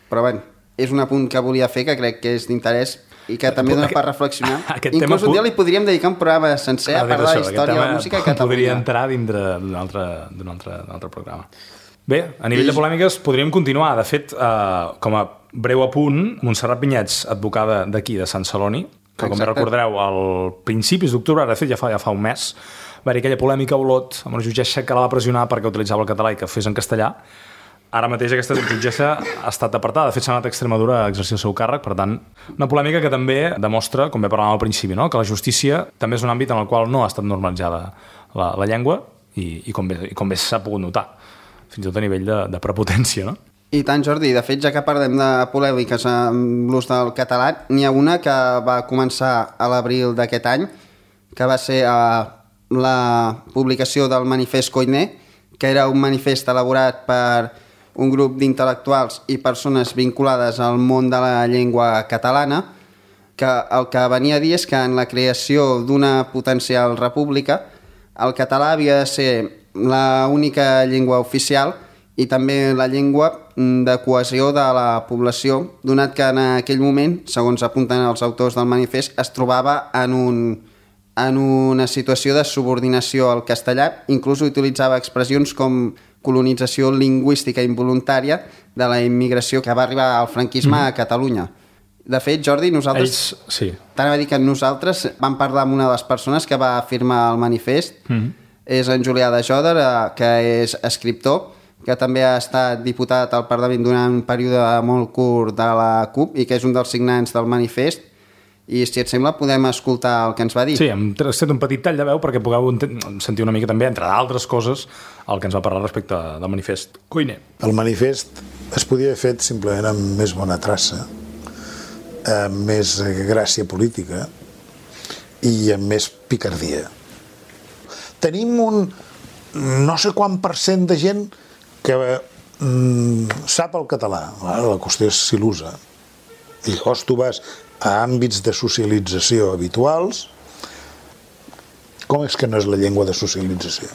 però bé, és un apunt que volia fer que crec que és d'interès i que també dona per reflexionar. Inclús un dia li podríem dedicar un programa sencer a parlar de la història de la música a Catalunya. Podria entrar dintre d'un altre programa. Bé, a nivell de polèmiques podríem continuar. De fet, com a breu apunt, Montserrat Vinyets, advocada d'aquí, de Sant Celoni, que com bé recordareu, al principis d'octubre, de fet ja fa un mes, va haver aquella polèmica a Olot amb una jutgessa que la va pressionar perquè utilitzava el català i que fes en castellà. Ara mateix aquesta jutgessa ha estat apartada. De fet, s'ha anat a Extremadura a exercir el seu càrrec. Per tant, una polèmica que també demostra, com bé parlàvem al principi, no? Que la justícia també és un àmbit en el qual no ha estat normalitzada la llengua i com bé s'ha pogut notar, fins i tot a nivell de prepotència, no? I tant, Jordi. De fet, ja que parlem de polèmiques amb l'ús del català, n'hi ha una que va començar a l'abril d'aquest any, que va ser la publicació del manifest Koiné, que era un manifest elaborat per un grup d'intel·lectuals i persones vinculades al món de la llengua catalana, que el que venia a dir és que en la creació d'una potencial república el català havia de ser l'única llengua oficial i també la llengua de cohesió de la població, donat que en aquell moment, segons apunten els autors del manifest, es trobava en una situació de subordinació al castellà, inclús utilitzava expressions com colonització lingüística involuntària de la immigració que va arribar al franquisme a Catalunya. De fet, Jordi, nosaltres... T'anava a dir que nosaltres vam parlar amb una de les persones que va firmar el manifest, és en Julià de Joder, que és escriptor, que també ha estat diputat al Parlament durant un període molt curt de la CUP i que és un dels signants del manifest. I si et sembla podem escoltar el que ens va dir. Sí, hem tret un petit tall de veu perquè pugueu sentir una mica també, entre d'altres coses, el que ens va parlar respecte del manifest Koiné. El manifest es podia haver fet simplement amb més bona traça, amb més gràcia política i amb més picardia. Tenim un no sé quant % de gent que sap el català. La qüestió és si l'usa. I llavors tu vas a àmbits de socialització habituals. Com és que no és la llengua de socialització?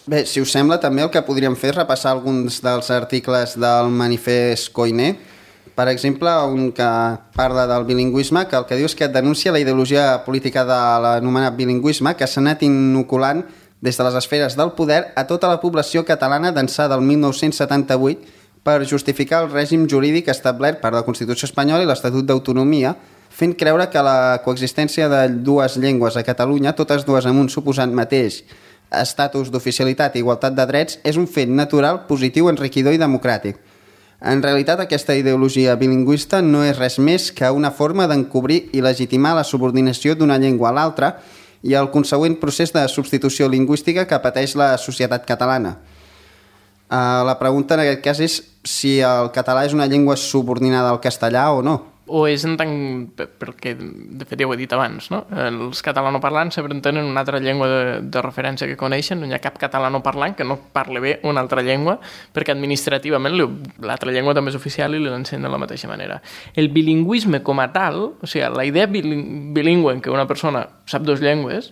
Bé, si us sembla, també el que podríem fer és repassar alguns dels articles del manifest Koiné. Per exemple, un que parla del bilingüisme, que el que diu és que denuncia la ideologia política de l'anomenat bilingüisme que s'ha anat inoculant des de les esferes del poder a tota la població catalana d'ençà del 1978 per justificar el règim jurídic establert per la Constitució espanyola i l'Estatut d'Autonomia, fent creure que la coexistència de dues llengües a Catalunya, totes dues amb un suposat mateix estatus d'oficialitat i igualtat de drets, és un fet natural, positiu, enriquidor i democràtic. En realitat, aquesta ideologia bilingüista no és res més que una forma d'encobrir i legitimar la subordinació d'una llengua a l'altra i el consegüent procés de substitució lingüística que pateix la societat catalana. La pregunta en aquest cas és si el català és una llengua subordinada al castellà o no. O és en tant... perquè de fet ja ho he dit abans, no? Els catalanoparlants sempre tenen una altra llengua de referència que coneixen, no hi ha cap catalanoparlant que no parli bé una altra llengua, perquè administrativament l'altra llengua també és oficial i l'ensenya de la mateixa manera. El bilingüisme com a tal, o sigui, la idea bilingüe en què una persona sap dues llengües,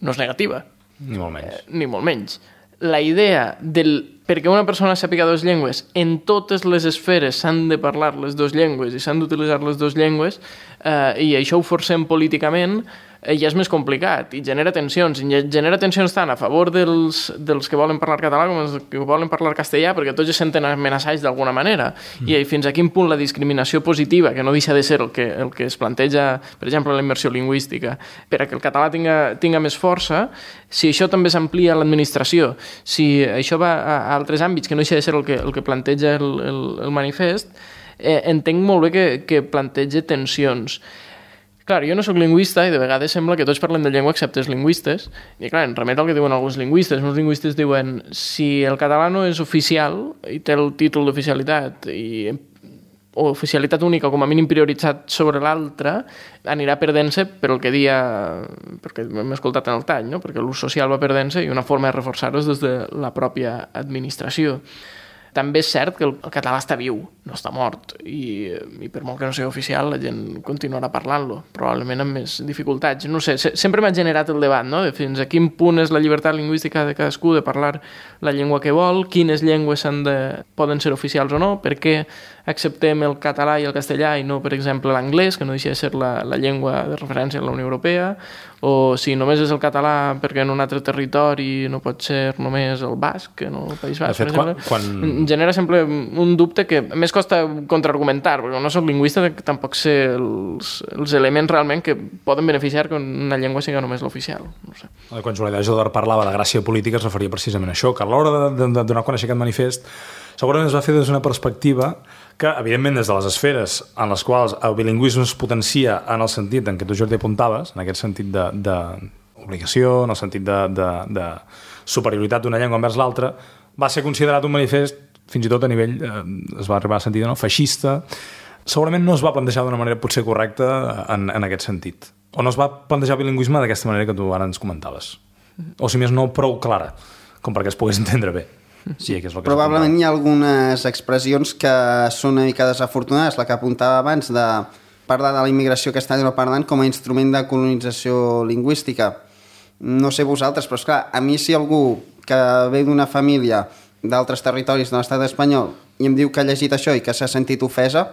no és negativa. Ni molt menys. Ni molt menys. la idea perquè una persona sàpiga dues llengües, en totes les esferes s'han de parlar les dues llengües i s'han d'utilitzar les dues llengües, i això ho forcem políticament, ja és més complicat i genera tensions tant a favor dels que volen parlar català com els que volen parlar castellà, perquè tots es senten amenaçats d'alguna manera, i fins a quin punt la discriminació positiva, que no deixa de ser el que es planteja, per exemple, la immersió lingüística, per a que el català tinga més força, si això també s'amplia a l'administració, si això va a altres àmbits, que no deixa de ser el que planteja el manifest, entenc molt bé que planteja tensions. Clar, jo no sóc lingüista i de vegades sembla que tots parlem de llengua excepte els lingüistes, i clar, en remet al que diuen alguns lingüistes. Molts lingüistes diuen, si el català no és oficial i té el títol d'oficialitat o oficialitat única o com a mínim prioritzat sobre l'altre, anirà perdent-se per el que dia, perquè hem escoltat en el tall, no? Perquè l'ús social va perdent-se i una forma de reforçar-ho és des de la pròpia administració. També és cert que el català està viu, no està mort, i per molt que no sigui oficial la gent continuarà parlant-lo, probablement amb més dificultats. No sé, sempre m'ha generat el debat, no?, de fins a quin punt és la llibertat lingüística de cadascú de parlar la llengua que vol, quines llengües poden ser oficials o no, per què acceptem el català i el castellà i no, per exemple, l'anglès, que no deixa de ser la llengua de referència en la Unió Europea, o si només és el català perquè en un altre territori no pot ser només el basc, que no el País Basc, per exemple. Genera sempre un dubte que més costa contraargumentar, perquè no soc lingüista, tampoc sé els elements realment que poden beneficiar que una llengua sigui només l'oficial. No sé. Quan Julià Jodar parlava de gràcia política es referia precisament a això, que a l'hora de donar a conèixer aquest manifest segurament es va fer des d'una perspectiva que, evidentment, des de les esferes en les quals el bilingüisme es potencia en el sentit en què tu, Jordi, apuntaves, en aquest sentit d'obligació, en el sentit de superioritat d'una llengua envers l'altra, va ser considerat un manifest, fins i tot a nivell, es va arribar a sentir, no?, feixista. Segurament no es va plantejar d'una manera potser correcta en aquest sentit. O no es va plantejar el bilingüisme d'aquesta manera que tu ara ens comentaves. O, si més no, prou clara, com perquè es pogués entendre bé. Sí, que és el que probablement hi ha algunes expressions que són una mica desafortunades, la que apuntava abans de parlar de la immigració castellanoparlant com a instrument de colonització lingüística. No sé vosaltres, però esclar, a mi si algú que ve d'una família d'altres territoris de l'estat espanyol i em diu que ha llegit això i que s'ha sentit ofesa,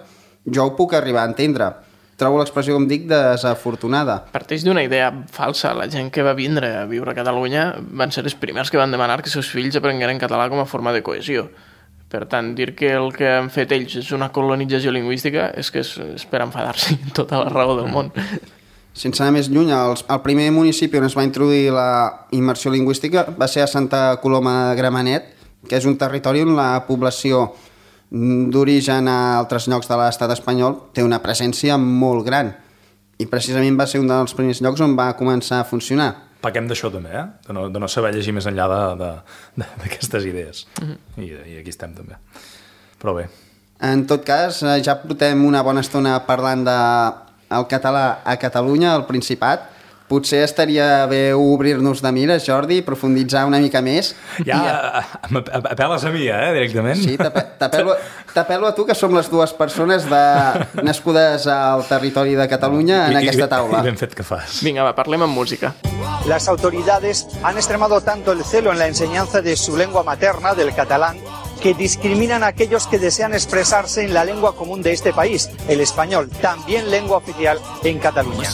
jo ho puc arribar a entendre. Trobo l'expressió, com dic, desafortunada. Parteix d'una idea falsa. La gent que va vindre a viure a Catalunya van ser els primers que van demanar que els seus fills aprengueren català com a forma de cohesió. Per tant, dir que el que han fet ells és una colonització lingüística és que és per enfadar-se tota la raó del món. Sense anar més lluny, el primer municipi on es va introduir la immersió lingüística va ser a Santa Coloma de Gramenet, que és un territori on la població d'origen a altres llocs de l'estat espanyol té una presència molt gran i precisament va ser un dels primers llocs on va començar a funcionar. Paquem d'això també, de no saber llegir més enllà d'aquestes idees. I aquí estem també. Però bé. En tot cas, ja portem una bona estona parlant del català a Catalunya, al Principat. Potser estaria bé obrir-nos de mires, Jordi, profunditzar una mica més. Ja apel·les a mi, directament? Sí, t'apel·lo a tu, que som les dues persones nascudes al territori de Catalunya en aquesta taula. I ben fet que fas. Vinga, va, parlem amb música. Las autoridades han extremado tanto el celo en la enseñanza de su lengua materna, del catalán, que discriminan a aquellos que desean expresarse en la lengua común de este país, el español, también lengua oficial en Cataluña.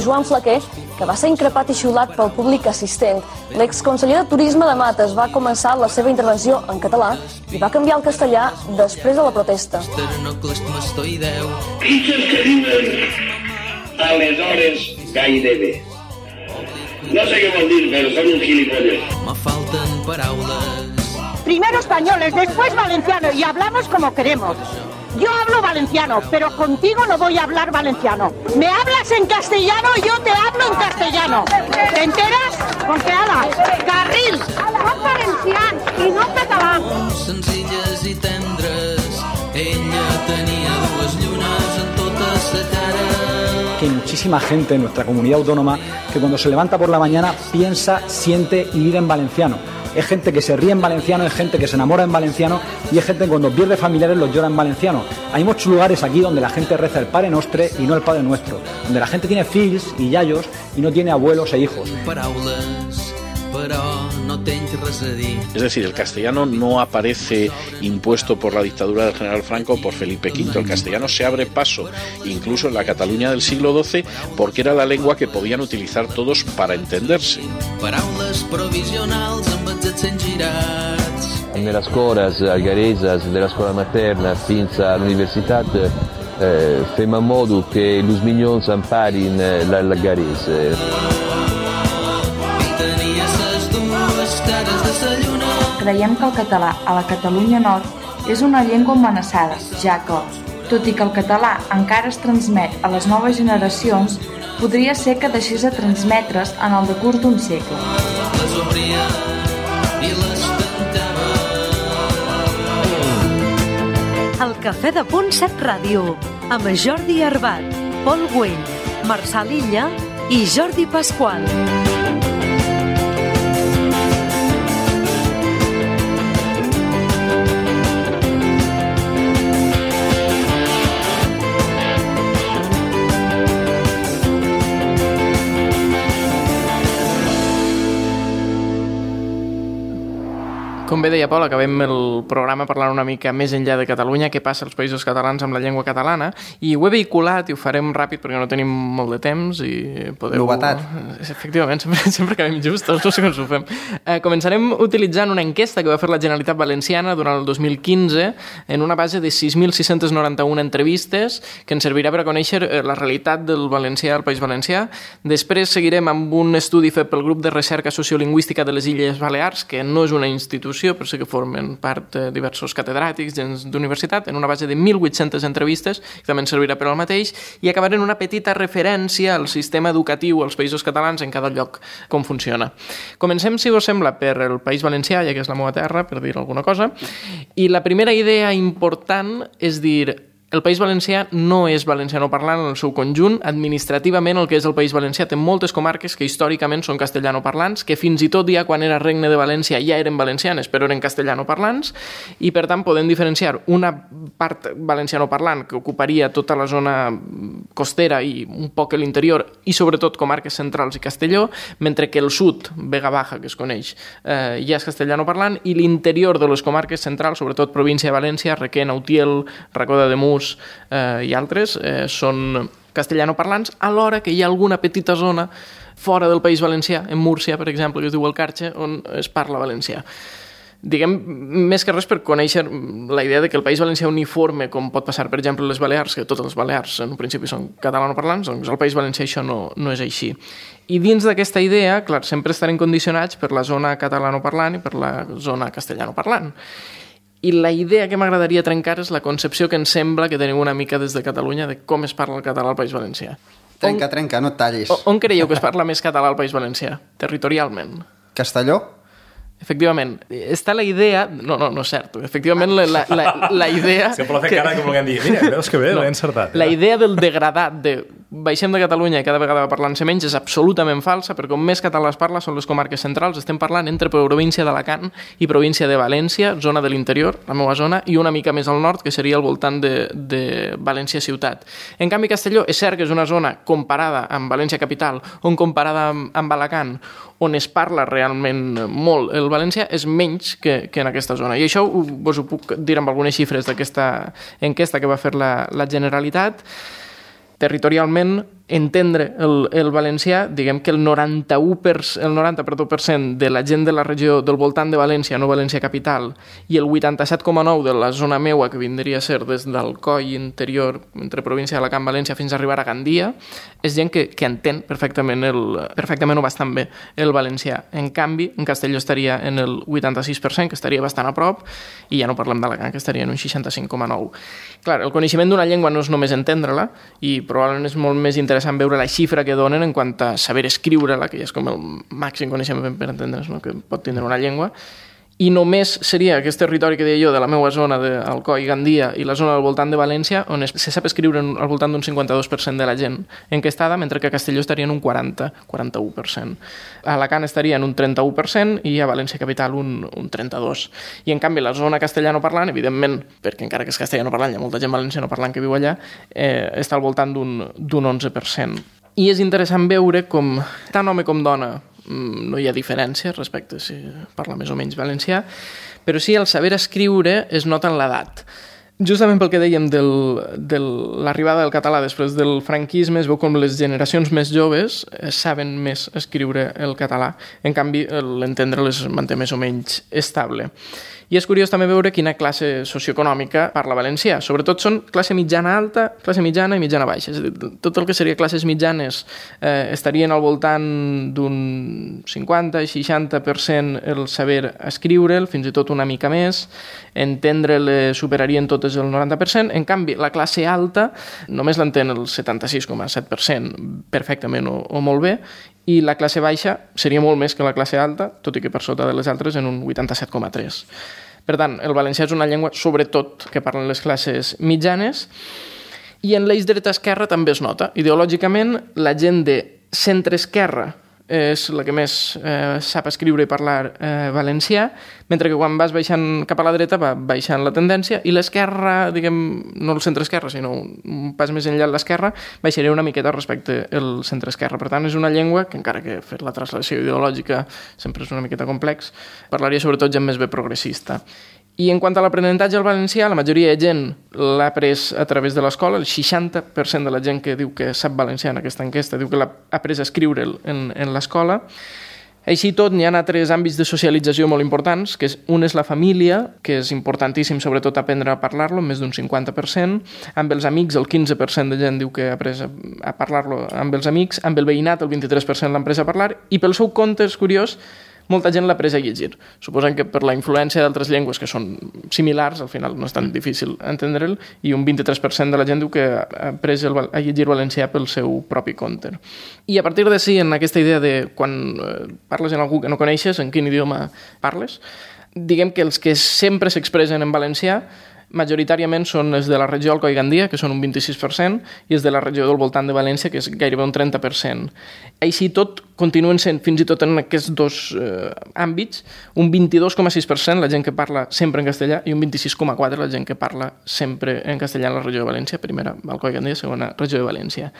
Joan Flaquer, que va ser increpat i xiulat pel públic assistent, l'exconseller de Turisme de Mates va començar la seva intervenció en català i va canviar al castellà després de la protesta. Pitjors que diuen aleshores gairebé. No sé qué vol dir, pero son un gilipollas. Me faltan paraules. Primero españoles, después valenciano y hablamos como queremos. Yo hablo valenciano, pero contigo no voy a hablar valenciano. Me hablas en castellano y yo te hablo en castellano. ¿Te enteras? Porque ala, carril, no valencians i no català. Senzilles i tendres, ella tenia dues llunes en tota sa cara. Que hay muchísima gente en nuestra comunidad autónoma que cuando se levanta por la mañana piensa, siente y vive en valenciano. es gente que se ríe en valenciano, es gente que se enamora en valenciano y es gente que cuando pierde familiares los llora en valenciano. Hay muchos lugares aquí donde la gente reza el Pare Nostre y no el Padre Nuestro, donde la gente tiene fills y yayos y no tiene abuelos e hijos. Es decir, el castellano no aparece impuesto por la dictadura del general Franco o por Felipe V. El castellano se abre paso, incluso en la Cataluña del siglo XII, porque era la lengua que podían utilizar todos para entenderse. Nelle escoles algareses, della scuola materna fins all'università, fem en modo que els minyons emparin l'algarès. Creiem que el català a la Catalunya Nord és una llengua amenaçada, ja que, tot i que el català encara es transmet a les noves generacions, podria ser que deixés de transmetre's en el decurs d'un segle. El Cafè de Punt 7 Ràdio, amb Jordi Arbat, Pol Güell, Marçal Illa i Jordi Pasqual. Com bé deia Pol, acabem el programa parlant una mica més enllà de Catalunya, què passa als països catalans amb la llengua catalana, i ho he vehiculat i ho farem ràpid perquè no tenim molt de temps i podeu... Novetat. Efectivament, sempre acabem justos, no sé com ho fem. Començarem utilitzant una enquesta que va fer la Generalitat Valenciana durant el 2015 en una base de 6.691 entrevistes que ens servirà per a conèixer la realitat del valencià al País Valencià. Després seguirem amb un estudi fet pel grup de recerca sociolingüística de les Illes Balears, que no és una institució, però sí que formen part diversos catedràtics d'universitat, en una base de 1.800 entrevistes, que també ens servirà per al mateix, i acabarem una petita referència al sistema educatiu als països catalans en cada lloc, com funciona. Comencem, si us sembla, per el País Valencià, ja que és la meva terra, per dir alguna cosa, i la primera idea important és dir... El País Valencià no és valencianoparlant en el seu conjunt. Administrativament, el que és el País Valencià té moltes comarques que històricament són castellanoparlants, que fins i tot ja quan era Regne de València ja eren valencianes, però eren castellanoparlants, i per tant podem diferenciar una part valencianoparlant que ocuparia tota la zona costera i un poc l'interior, i sobretot comarques centrals i Castelló, mentre que el sud, Vega Baja, que es coneix, ja és castellanoparlant, i l'interior de les comarques centrals, sobretot província de València, Requena, Utiel, Racó de Ademús, i altres són castellanoparlants, alhora que hi ha alguna petita zona fora del País Valencià, en Múrcia, per exemple, que es diu el Carxe, on es parla valencià. Diguem, més que res per conèixer la idea de que el País Valencià uniforme, com pot passar, per exemple, les Balears, que totes les Balears en un principi són catalanoparlants, doncs al País Valencià això no és així. I dins d'aquesta idea, clar, sempre estarem condicionats per la zona catalanoparlant i per la zona castellanoparlant. I la idea que m'agradaria trencar és la concepció que ens sembla que tenim una mica des de Catalunya de com es parla el català al País Valencià. Trenca, no et tallis. On creieu que es parla més català al País Valencià, territorialment? Castelló? Efectivament, està la idea... No és cert. Efectivament, la idea... És que per la fer cara com volguem dir, mira, veus que bé, l'he encertat. La idea del degradat, de baixem de Catalunya i cada vegada parlant-se menys, és absolutament falsa, perquè com més català es parla són les comarques centrals. Estem parlant entre província d'Alacant i província de València, zona de l'interior, la meva zona, i una mica més al nord, que seria al voltant de València ciutat. En canvi, Castelló és cert que és una zona comparada amb València capital, on comparada amb Alacant, on es parla realment molt el valencià, és menys que en aquesta zona. I això us ho puc dir amb algunes xifres d'aquesta enquesta que va fer la Generalitat. Territorialment, entendre el valencià, diguem que el 90% de la gent de la regió del voltant de València, no València capital, i el 87,9% de la zona meua, que vindria a ser des del coll interior, entre província d'Alacant, València, fins a arribar a Gandia, és gent que entén perfectament o bastant bé el valencià. En canvi, en Castelló estaria en el 86%, que estaria bastant a prop, i ja no parlem d'Alacant, que estaria en un 65,9%. Clar, el coneixement d'una llengua no és només entendre-la, i probablement és molt més interessant veure la xifra que donen en quant a saber escriure-la, que ja és com el màxim coneixement per entendre's, no? Que pot tindre una llengua, i només seria aquest territori que deia jo de la meva zona d'Alcoi, Gandia i la zona del voltant de València on se sap escriure al voltant d'un 52% de la gent enquestada, mentre que a Castelló estaria en un 41%. A Alacant estaria en un 31% i a València Capital un 32%. I en canvi la zona castellanoparlant, evidentment, perquè encara que és castellanoparlant, hi ha molta gent valencianoparlant que viu allà, està al voltant d'un 11%. I és interessant veure com tant home com dona no hi ha diferència respecte si parla més o menys valencià, però sí el saber escriure es nota en l'edat. Justament pel que dèiem de l'arribada del català després del franquisme, es veu com les generacions més joves saben més escriure el català, en canvi l'entendre les manté més o menys estable. I és curiós també veure quina classe socioeconòmica parla valencià. Sobretot són classe mitjana alta, classe mitjana i mitjana baixa. És a dir, tot el que seria classes mitjanes estarien al voltant d'un 50-60% el saber escriure'l, fins i tot una mica més. Entendre-le superarien totes el 90%. En canvi, la classe alta només l'entén el 76,7% perfectament o molt bé, i la classe baixa seria molt més que la classe alta, tot i que per sota de les altres en un 87,3%. Per tant, el valencià és una llengua, sobretot, que parlen les classes mitjanes, i en l'eix dreta-esquerra també es nota. Ideològicament, la gent de centre-esquerra és la que més sap escriure i parlar valencià, mentre que quan vas baixant cap a la dreta va baixant la tendència, i l'esquerra, diguem, no el centre-esquerra, sinó un pas més enllà de l'esquerra, baixaria una miqueta respecte al centre-esquerra. Per tant, és una llengua que, encara que fer la translació ideològica sempre és una miqueta complex, parlaria sobretot gent més bé progressista. I en quant a l'aprenentatge al valencià, la majoria de gent l'ha après a través de l'escola. El 60% de la gent que diu que sap valencià en aquesta enquesta diu que l'ha après a escriure'l en l'escola. Així tot, n'hi ha altres àmbits de socialització molt importants, que un és la família, que és importantíssim sobretot aprendre a parlar-lo, més d'un 50%, amb els amics el 15% de gent diu que ha après a parlar-lo amb els amics, amb el veïnat el 23% l'ha après a parlar, i pel seu compte, és curiós, molta gent l'ha après a llegir. Suposen que per la influència d'altres llengües que són similars, al final no és tan difícil entendre'l, i un 23% de la gent diu que ha après a llegir valencià pel seu propi compte. I a partir d'ací, en aquesta idea de quan parles amb algú que no coneixes, en quin idioma parles, diguem que els que sempre s'expressen en valencià majoritàriament són els de la regió Alcoi Gandia, que són un 26%, i els de la regió del voltant de València, que és gairebé un 30%. Així tot, continuen sent, fins i tot en aquests dos àmbits, un 22,6% la gent que parla sempre en castellà i un 26,4% la gent que parla sempre en castellà en la regió de València, primera Alcoi Gandia, segona regió de València.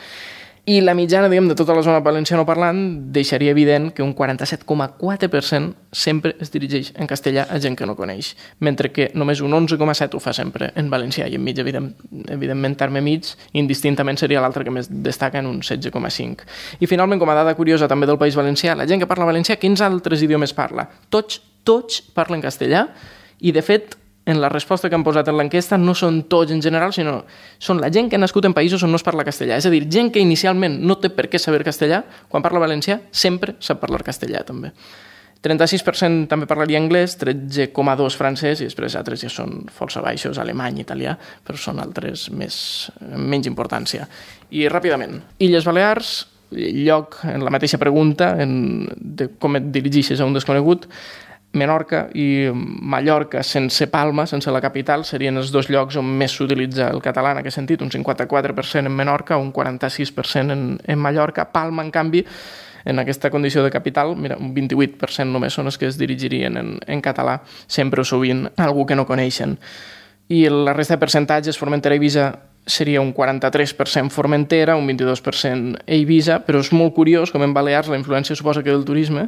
I la mitjana, diguem, de tota la zona valenciana parlant deixaria evident que un 47,4% sempre es dirigeix en castellà a gent que no coneix, mentre que només un 11,7% ho fa sempre en valencià, i en mig, evidentment, terme mig, indistintament seria l'altre que més destaca en un 16,5%. I finalment, com a dada curiosa també del País Valencià, la gent que parla valencià, quins altres idiomes parla? Tots parlen castellà, i de fet, en la resposta que han posat en l'enquesta no són tots en general, sinó són la gent que ha nascut en països on no es parla castellà. És a dir, gent que inicialment no té per què saber castellà, quan parla valencià sempre sap parlar castellà també. 36% també parlaria anglès, 13,2% francès, i després altres ja són força baixos, alemany, italià, però són altres menys importància. I ràpidament, Illes Balears, lloc en la mateixa pregunta de com et dirigeixes a un desconegut. Menorca i Mallorca sense Palma, sense la capital, serien els dos llocs on més s'utilitza el català en aquest sentit, un 54% en Menorca, un 46% en Mallorca. Palma, en canvi, en aquesta condició de capital, mira, un 28% només són els que es dirigirien en català, sempre o sovint algú que no coneixen. I la resta de percentatges, Formentera i Eivissa, seria un 43% Formentera, un 22% Eivissa, però és molt curiós com en Balears la influència suposa que del turisme,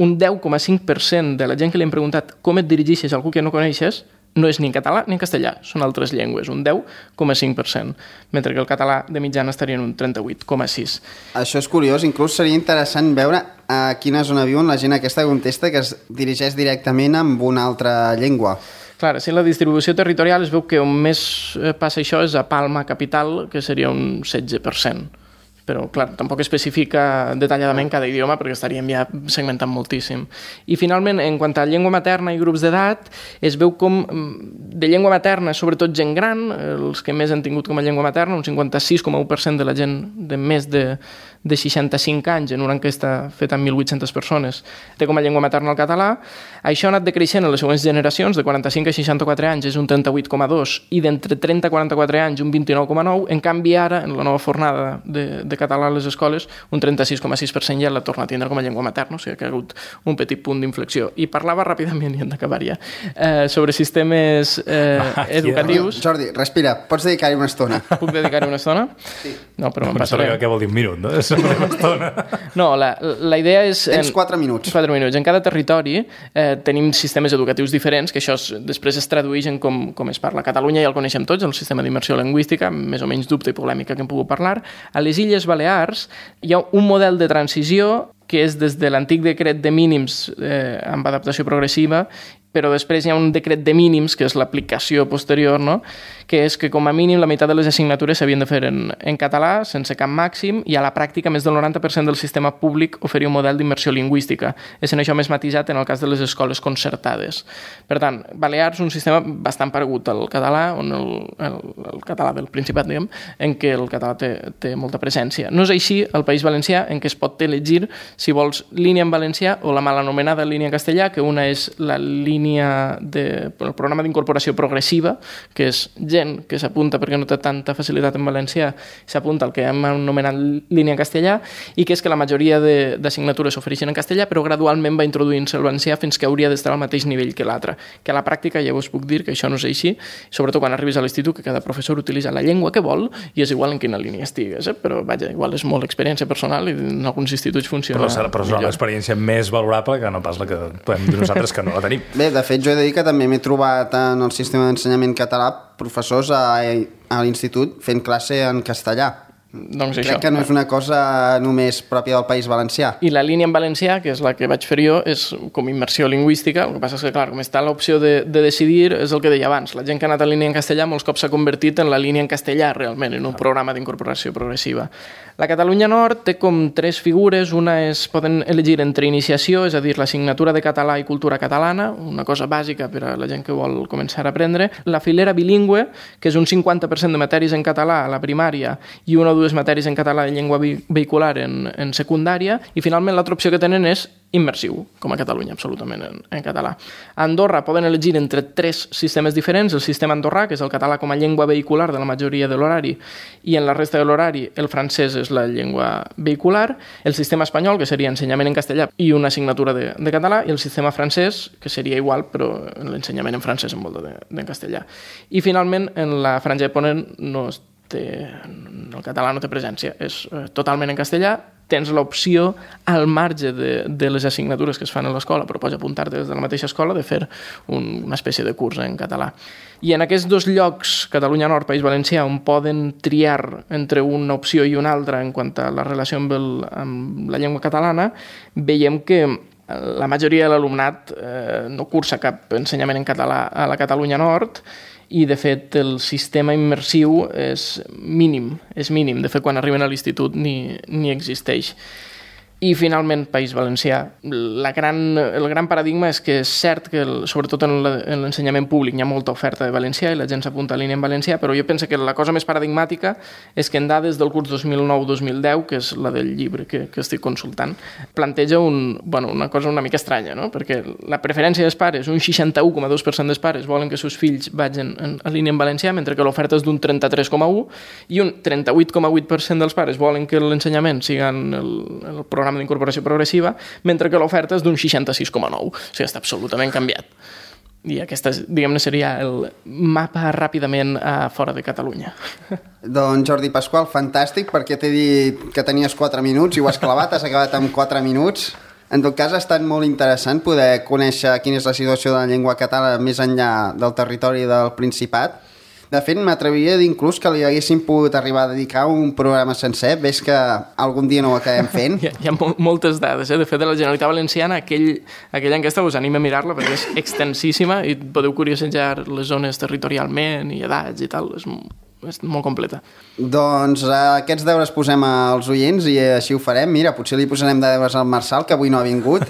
un 10,5% de la gent que li hem preguntat com et dirigeixes a algú que no coneixes no és ni en català ni en castellà, són altres llengües, un 10,5%, mentre que el català de mitjana estaria en un 38,6%. Això és curiós, inclús seria interessant veure a quina zona viuen la gent aquesta que contesta que es dirigeix directament amb una altra llengua. Clar, si la distribució territorial es veu que on més passa això és a Palma, capital, que seria un 16%. Però, clar, tampoc especifica detalladament cada idioma perquè estaríem ja segmentant moltíssim. I, finalment, en quant a llengua materna i grups d'edat, es veu com de llengua materna, sobretot gent gran, els que més han tingut com a llengua materna, un 56,1% de la gent de més de de 65 anys en una enquesta feta amb 1.800 persones té com a llengua materna el català. Això ha anat decreixent en les següents generacions, de 45 a 64 anys és un 38,2 i d'entre 30 a 44 anys un 29,9. En canvi ara, en la nova fornada de català a les escoles, un 36,6% ja l'ha tornat a tindre com a llengua materna, o sigui que ha hagut un petit punt d'inflexió. I parlava ràpidament, i hem d'acabar ja, sobre sistemes educatius. Jordi, respira, pots dedicar-hi una estona. Puc dedicar-hi una estona? Sí. No, però me'n passaré. Què vol dir un minut, no? És una estona. No, la idea és... Tens 4 minuts. 4 minuts. En cada territori tenim sistemes educatius diferents, que això després es tradueix en com es parla. A Catalunya ja el coneixem tots, el sistema d'immersió lingüística, més o menys dubte i polèmica que hem pogut parlar. A les Illes Balears hi ha un model de transició que és des de l'antic decret de mínims amb adaptació progressiva, però després hi ha un decret de mínims, que és l'aplicació posterior, no? Que és que com a mínim la meitat de les assignatures s'havien de fer en català, sense cap màxim, i a la pràctica més del 90% del sistema públic oferia un model d'immersió lingüística. És en això més matisat en el cas de les escoles concertades. Per tant, Balears és un sistema bastant paregut al català, on el català del Principat, diguem, en què el català té molta presència. No és així al País Valencià, en què es pot elegir si vols línia en valencià o la mal anomenada línia en castellà, que una és la línia el programa d'incorporació progressiva, que és gent que s'apunta perquè no té tanta facilitat en valencià, s'apunta al que hem anomenat línia en castellà, i que és que la majoria d'assignatures s'ofereixen en castellà, però gradualment va introduint-se el valencià fins que hauria d'estar al mateix nivell que l'altre. Que a la pràctica ja us puc dir que això no és així, sobretot quan arribes a l'institut, que cada professor utilitza la llengua que vol i és igual en quina línia estigues, però vaja, igual és molt experiència personal i en alguns instituts funciona però és una experiència més valorable que no pas la que podem dir nosaltres que no la tenim. Bé, de fet jo he de dir que també m'he trobat en el sistema d'ensenyament català professors a l'institut fent classe en castellà. Doncs crec això, que no és una cosa només pròpia del País Valencià. I la línia en valencià, que és la que vaig fer jo, és com immersió lingüística. El que passa és que, clar, com està l'opció de decidir, és el que deia abans. La gent que ha anat a línia en castellà molts cops s'ha convertit en la línia en castellà, realment, en un programa d'incorporació progressiva. La Catalunya Nord té com 3 figures. Una és, poden elegir entre iniciació, és a dir, l'assignatura de català i cultura catalana, una cosa bàsica per a la gent que vol començar a aprendre. La filera bilingüe, que és un 50% de matèries en català a la primària i una o dues matèries en català de llengua vehicular en secundària, i finalment l'altra opció que tenen és immersiu, com a Catalunya, absolutament en català. A Andorra poden elegir entre 3 sistemes diferents, el sistema andorrà, que és el català com a llengua vehicular de la majoria de l'horari, i en la resta de l'horari el francès és la llengua vehicular, el sistema espanyol, que seria ensenyament en castellà i una assignatura de català, i el sistema francès, que seria igual, però l'ensenyament en francès en vol en castellà. I finalment, en la franja de Ponent el català no té presència, és totalment en castellà. Tens l'opció, al marge de les assignatures que es fan a l'escola, però pots apuntar-te des de la mateixa escola, de fer una espècie de curs en català. I en aquests 2 llocs, Catalunya Nord, País Valencià, on poden triar entre una opció i una altra en quant a la relació amb la llengua catalana, veiem que la majoria de l'alumnat no cursa cap ensenyament en català a la Catalunya Nord, i de fet el sistema immersiu és mínim. De fet, quan arriben a l'institut ni existeix. I finalment, País Valencià. El gran paradigma és que és cert que, sobretot en l'ensenyament públic, hi ha molta oferta de valencià i la gent s'apunta a línia en valencià, però jo penso que la cosa més paradigmàtica és que en dades del curs 2009-2010, que és la del llibre que estic consultant, planteja una cosa una mica estranya, no? Perquè la preferència dels pares, un 61,2% dels pares volen que els seus fills vagin a línia en valencià, mentre que l'oferta és d'un 33,1%, i un 38,8% dels pares volen que l'ensenyament sigui en el programa d'incorporació progressiva, mentre que l'oferta és d'un 66,9%. O sigui, està absolutament canviat. I aquesta, diguem-ne, seria el mapa ràpidament fora de Catalunya. Doncs Jordi Pasqual, fantàstic, perquè t'he dit que tenies 4 minuts i ho has clavat, has acabat amb 4 minuts. En tot cas, ha estat molt interessant poder conèixer quina és la situació de la llengua catalana més enllà del territori del Principat. De fet, m'atreviria a dir inclús que li haguéssim pogut arribar a dedicar un programa sencer. Ves que algun dia no ho acabem fent. Hi ha moltes dades. De fet, de la Generalitat Valenciana, aquella enquesta us anima a mirar-la perquè és extensíssima i podeu curiosejar les zones territorialment i edats i tal. És molt completa. Doncs aquests deures posem als oients i així ho farem. Mira, potser li posarem de deures al Marçal, que avui no ha vingut.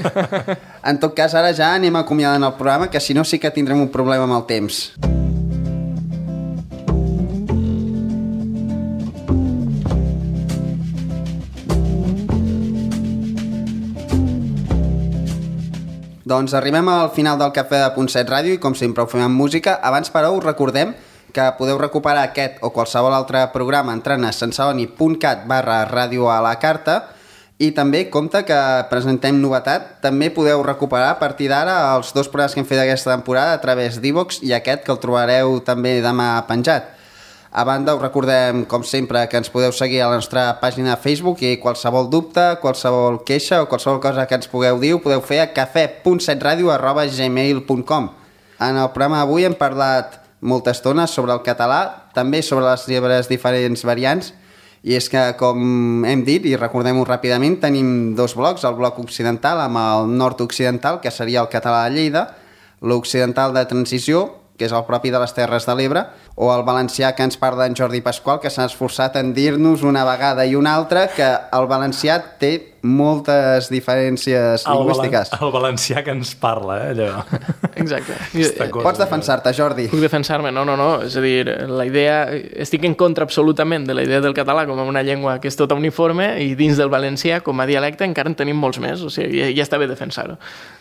En tot cas, ara ja anem acomiadant el programa, que si no sí que tindrem un problema amb el temps. Doncs arribem al final del Cafè de Punt 7 Ràdio i com sempre ho fem amb música. Abans, però, us recordem que podeu recuperar aquest o qualsevol altre programa entrant a santceloni.cat/ràdio a la carta i també compte que presentem novetat. També podeu recuperar a partir d'ara els 2 programes que hem fet aquesta temporada a través d'Ivox i aquest que el trobareu també demà penjat. A banda, us recordem, com sempre, que ens podeu seguir a la nostra pàgina de Facebook i qualsevol dubte, qualsevol queixa o qualsevol cosa que ens pugueu dir ho podeu fer a cafè.setradio@gmail.com. En el programa d'avui hem parlat molta estona sobre el català, també sobre les seves diferents variants, i és que, com hem dit, i recordem-ho ràpidament, tenim 2 blocs, el bloc occidental amb el nord-occidental, que seria el català de Lleida, l'occidental de transició, que és el propi de les Terres de l'Ebre, o el valencià que ens parla en Jordi Pasqual, que s'ha esforçat en dir-nos una vegada i una altra que el valencià té moltes diferències lingüístiques. El valencià que ens parla, allò. Exacte. Pots defensar-te, Jordi. Puc defensar-me, no. És a dir, la idea... Estic en contra absolutament de la idea del català com una llengua que és tota uniforme i dins del valencià, com a dialecte, encara en tenim molts més. O sigui, ja està bé defensar-ho.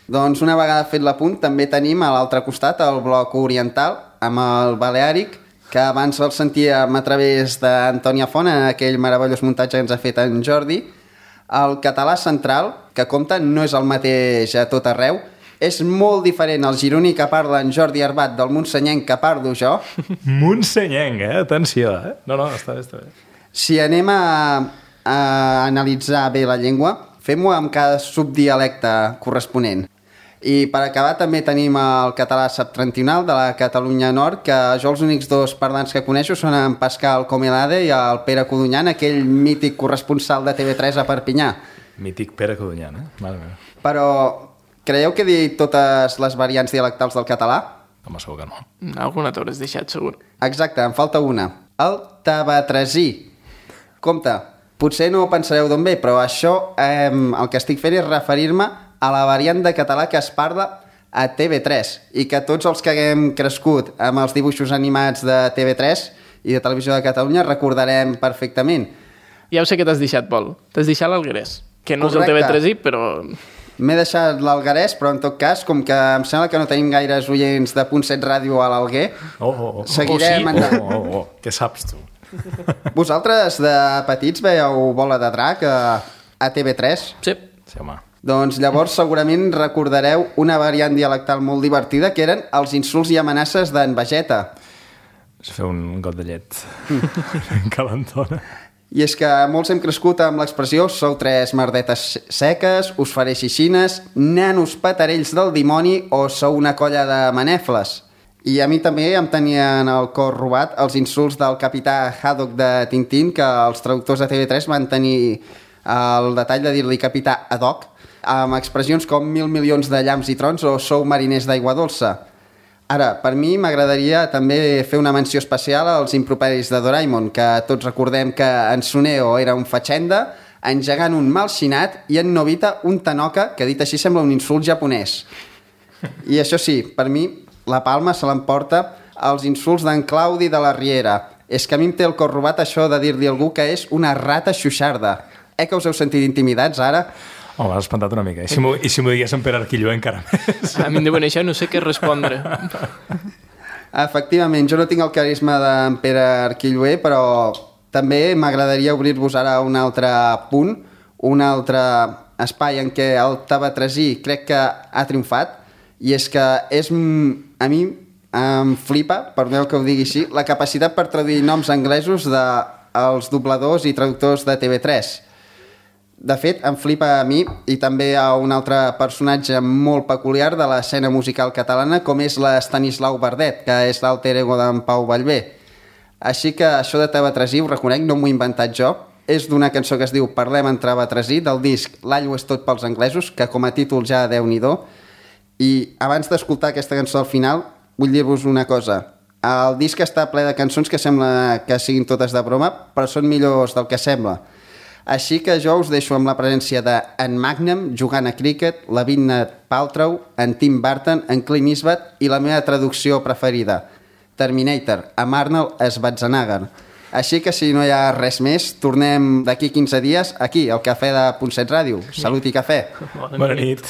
Doncs una vegada fet l'apunt, també tenim a l'altre costat el bloc oriental, amb el baleàric, que abans el sentíem a través d'Antònia Font, en aquell meravellós muntatge que ens ha fet en Jordi. El català central, que compta, no és el mateix a tot arreu, és molt diferent el gironí que parla en Jordi Arbat del monsenyenc que parlo jo. Monsenyenc, atenció, No, està bé. Si anem a analitzar bé la llengua, fem-ho amb cada subdialecte corresponent. I per acabar també tenim el català septentrional de la Catalunya Nord, que jo els únics 2 parlants que coneixo són en Pascal Comelade i el Pere Codonyan, aquell mític corresponsal de TV3 a Perpinyà. Mític Pere Codonyan, Mare meva. Però creieu que he dit totes les variants dialectals del català? Home, segur que no. Alguna t'hauràs deixat, segur. Exacte, en falta una. El tabatresí. Compte, potser no ho pensareu d'on ve, però això el que estic fent és referir-me a la variant de català que es parla a TV3 i que tots els que haguem crescut amb els dibuixos animats de TV3 i de Televisió de Catalunya recordarem perfectament. Ja ho sé que t'has deixat, Pol. T'has deixat l'Alguerès, que no és el TV3i, però... M'he deixat l'Alguerès, però en tot cas, com que em sembla que no tenim gaires oients de Punt 7 Ràdio a l'Alguer, seguirem endavant. Què saps tu? Vosaltres de petits veieu Bola de Drac a TV3? Sí, home. Doncs llavors segurament recordareu una variant dialectal molt divertida que eren els insults i amenaces d'en Vegeta. És fer un got de llet calentona. I és que molts hem crescut amb l'expressió sou 3 merdetes seques, us faré xixines, nanos patarells del dimoni o sou una colla de manefles. I a mi també em tenien el cor robat els insults del capità Haddock de Tintín, que els traductors de TV3 van tenir el detall de dir-li capità Haddock, amb expressions com 1.000 milions de llamps i trons o sou mariners d'aigua dolça. Ara, per mi m'agradaria també fer una menció especial als improperis de Doraemon, que tots recordem que en Suneo era un fatxenda, en Gegant un malxinat i en Nobita un tanoca, que dit així sembla un insult japonès. I això sí, per mi la palma se l'emporta els insults d'en Claudi de la Riera. És que a mi em té el cor robat això de dir-li a algú que és una rata xuixarda. Que us heu sentit intimidats ara? Home, m'has espantat una mica. I si m'ho digués en Pere Arquillo encara més. A mi em deuen això, no sé què respondre. Efectivament, jo no tinc el carisma d'en Pere Arquilloé, però també m'agradaria obrir-vos ara un altre punt, un altre espai en què el tabatresí crec que ha triomfat, i és que a mi em flipa, perdoneu que ho digui així, la capacitat per traduir noms anglesos dels dobladors i traductors de TV3. De fet, em flipa a mi i també a un altre personatge molt peculiar de l'escena musical catalana, com és l'Estanislau Verdet, que és l'alter ego d'en Pau Vallvé. Així que això de tabatresí, ho reconec, no m'ho he inventat jo. És d'una cançó que es diu Parlem en tabatresí, del disc L'Allo és tot pels anglesos, que com a títol ja Déu-n'hi-do. I abans d'escoltar aquesta cançó al final, vull dir-vos una cosa. El disc està ple de cançons que sembla que siguin totes de broma, però són millors del que sembla. Així que jo us deixo amb la presència d'en Magnum jugant a críquet, la Gwyneth Paltrow, en Tim Burton, en Clint Eastwood i la meva traducció preferida, Terminator, amb Arnold Schwarzenegger. Així que si no hi ha res més, tornem d'aquí 15 dies aquí, al Cafè de Punt 7 Ràdio. Salut i cafè. Bona nit.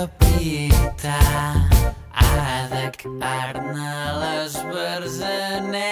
capità ha de carne les versanegues.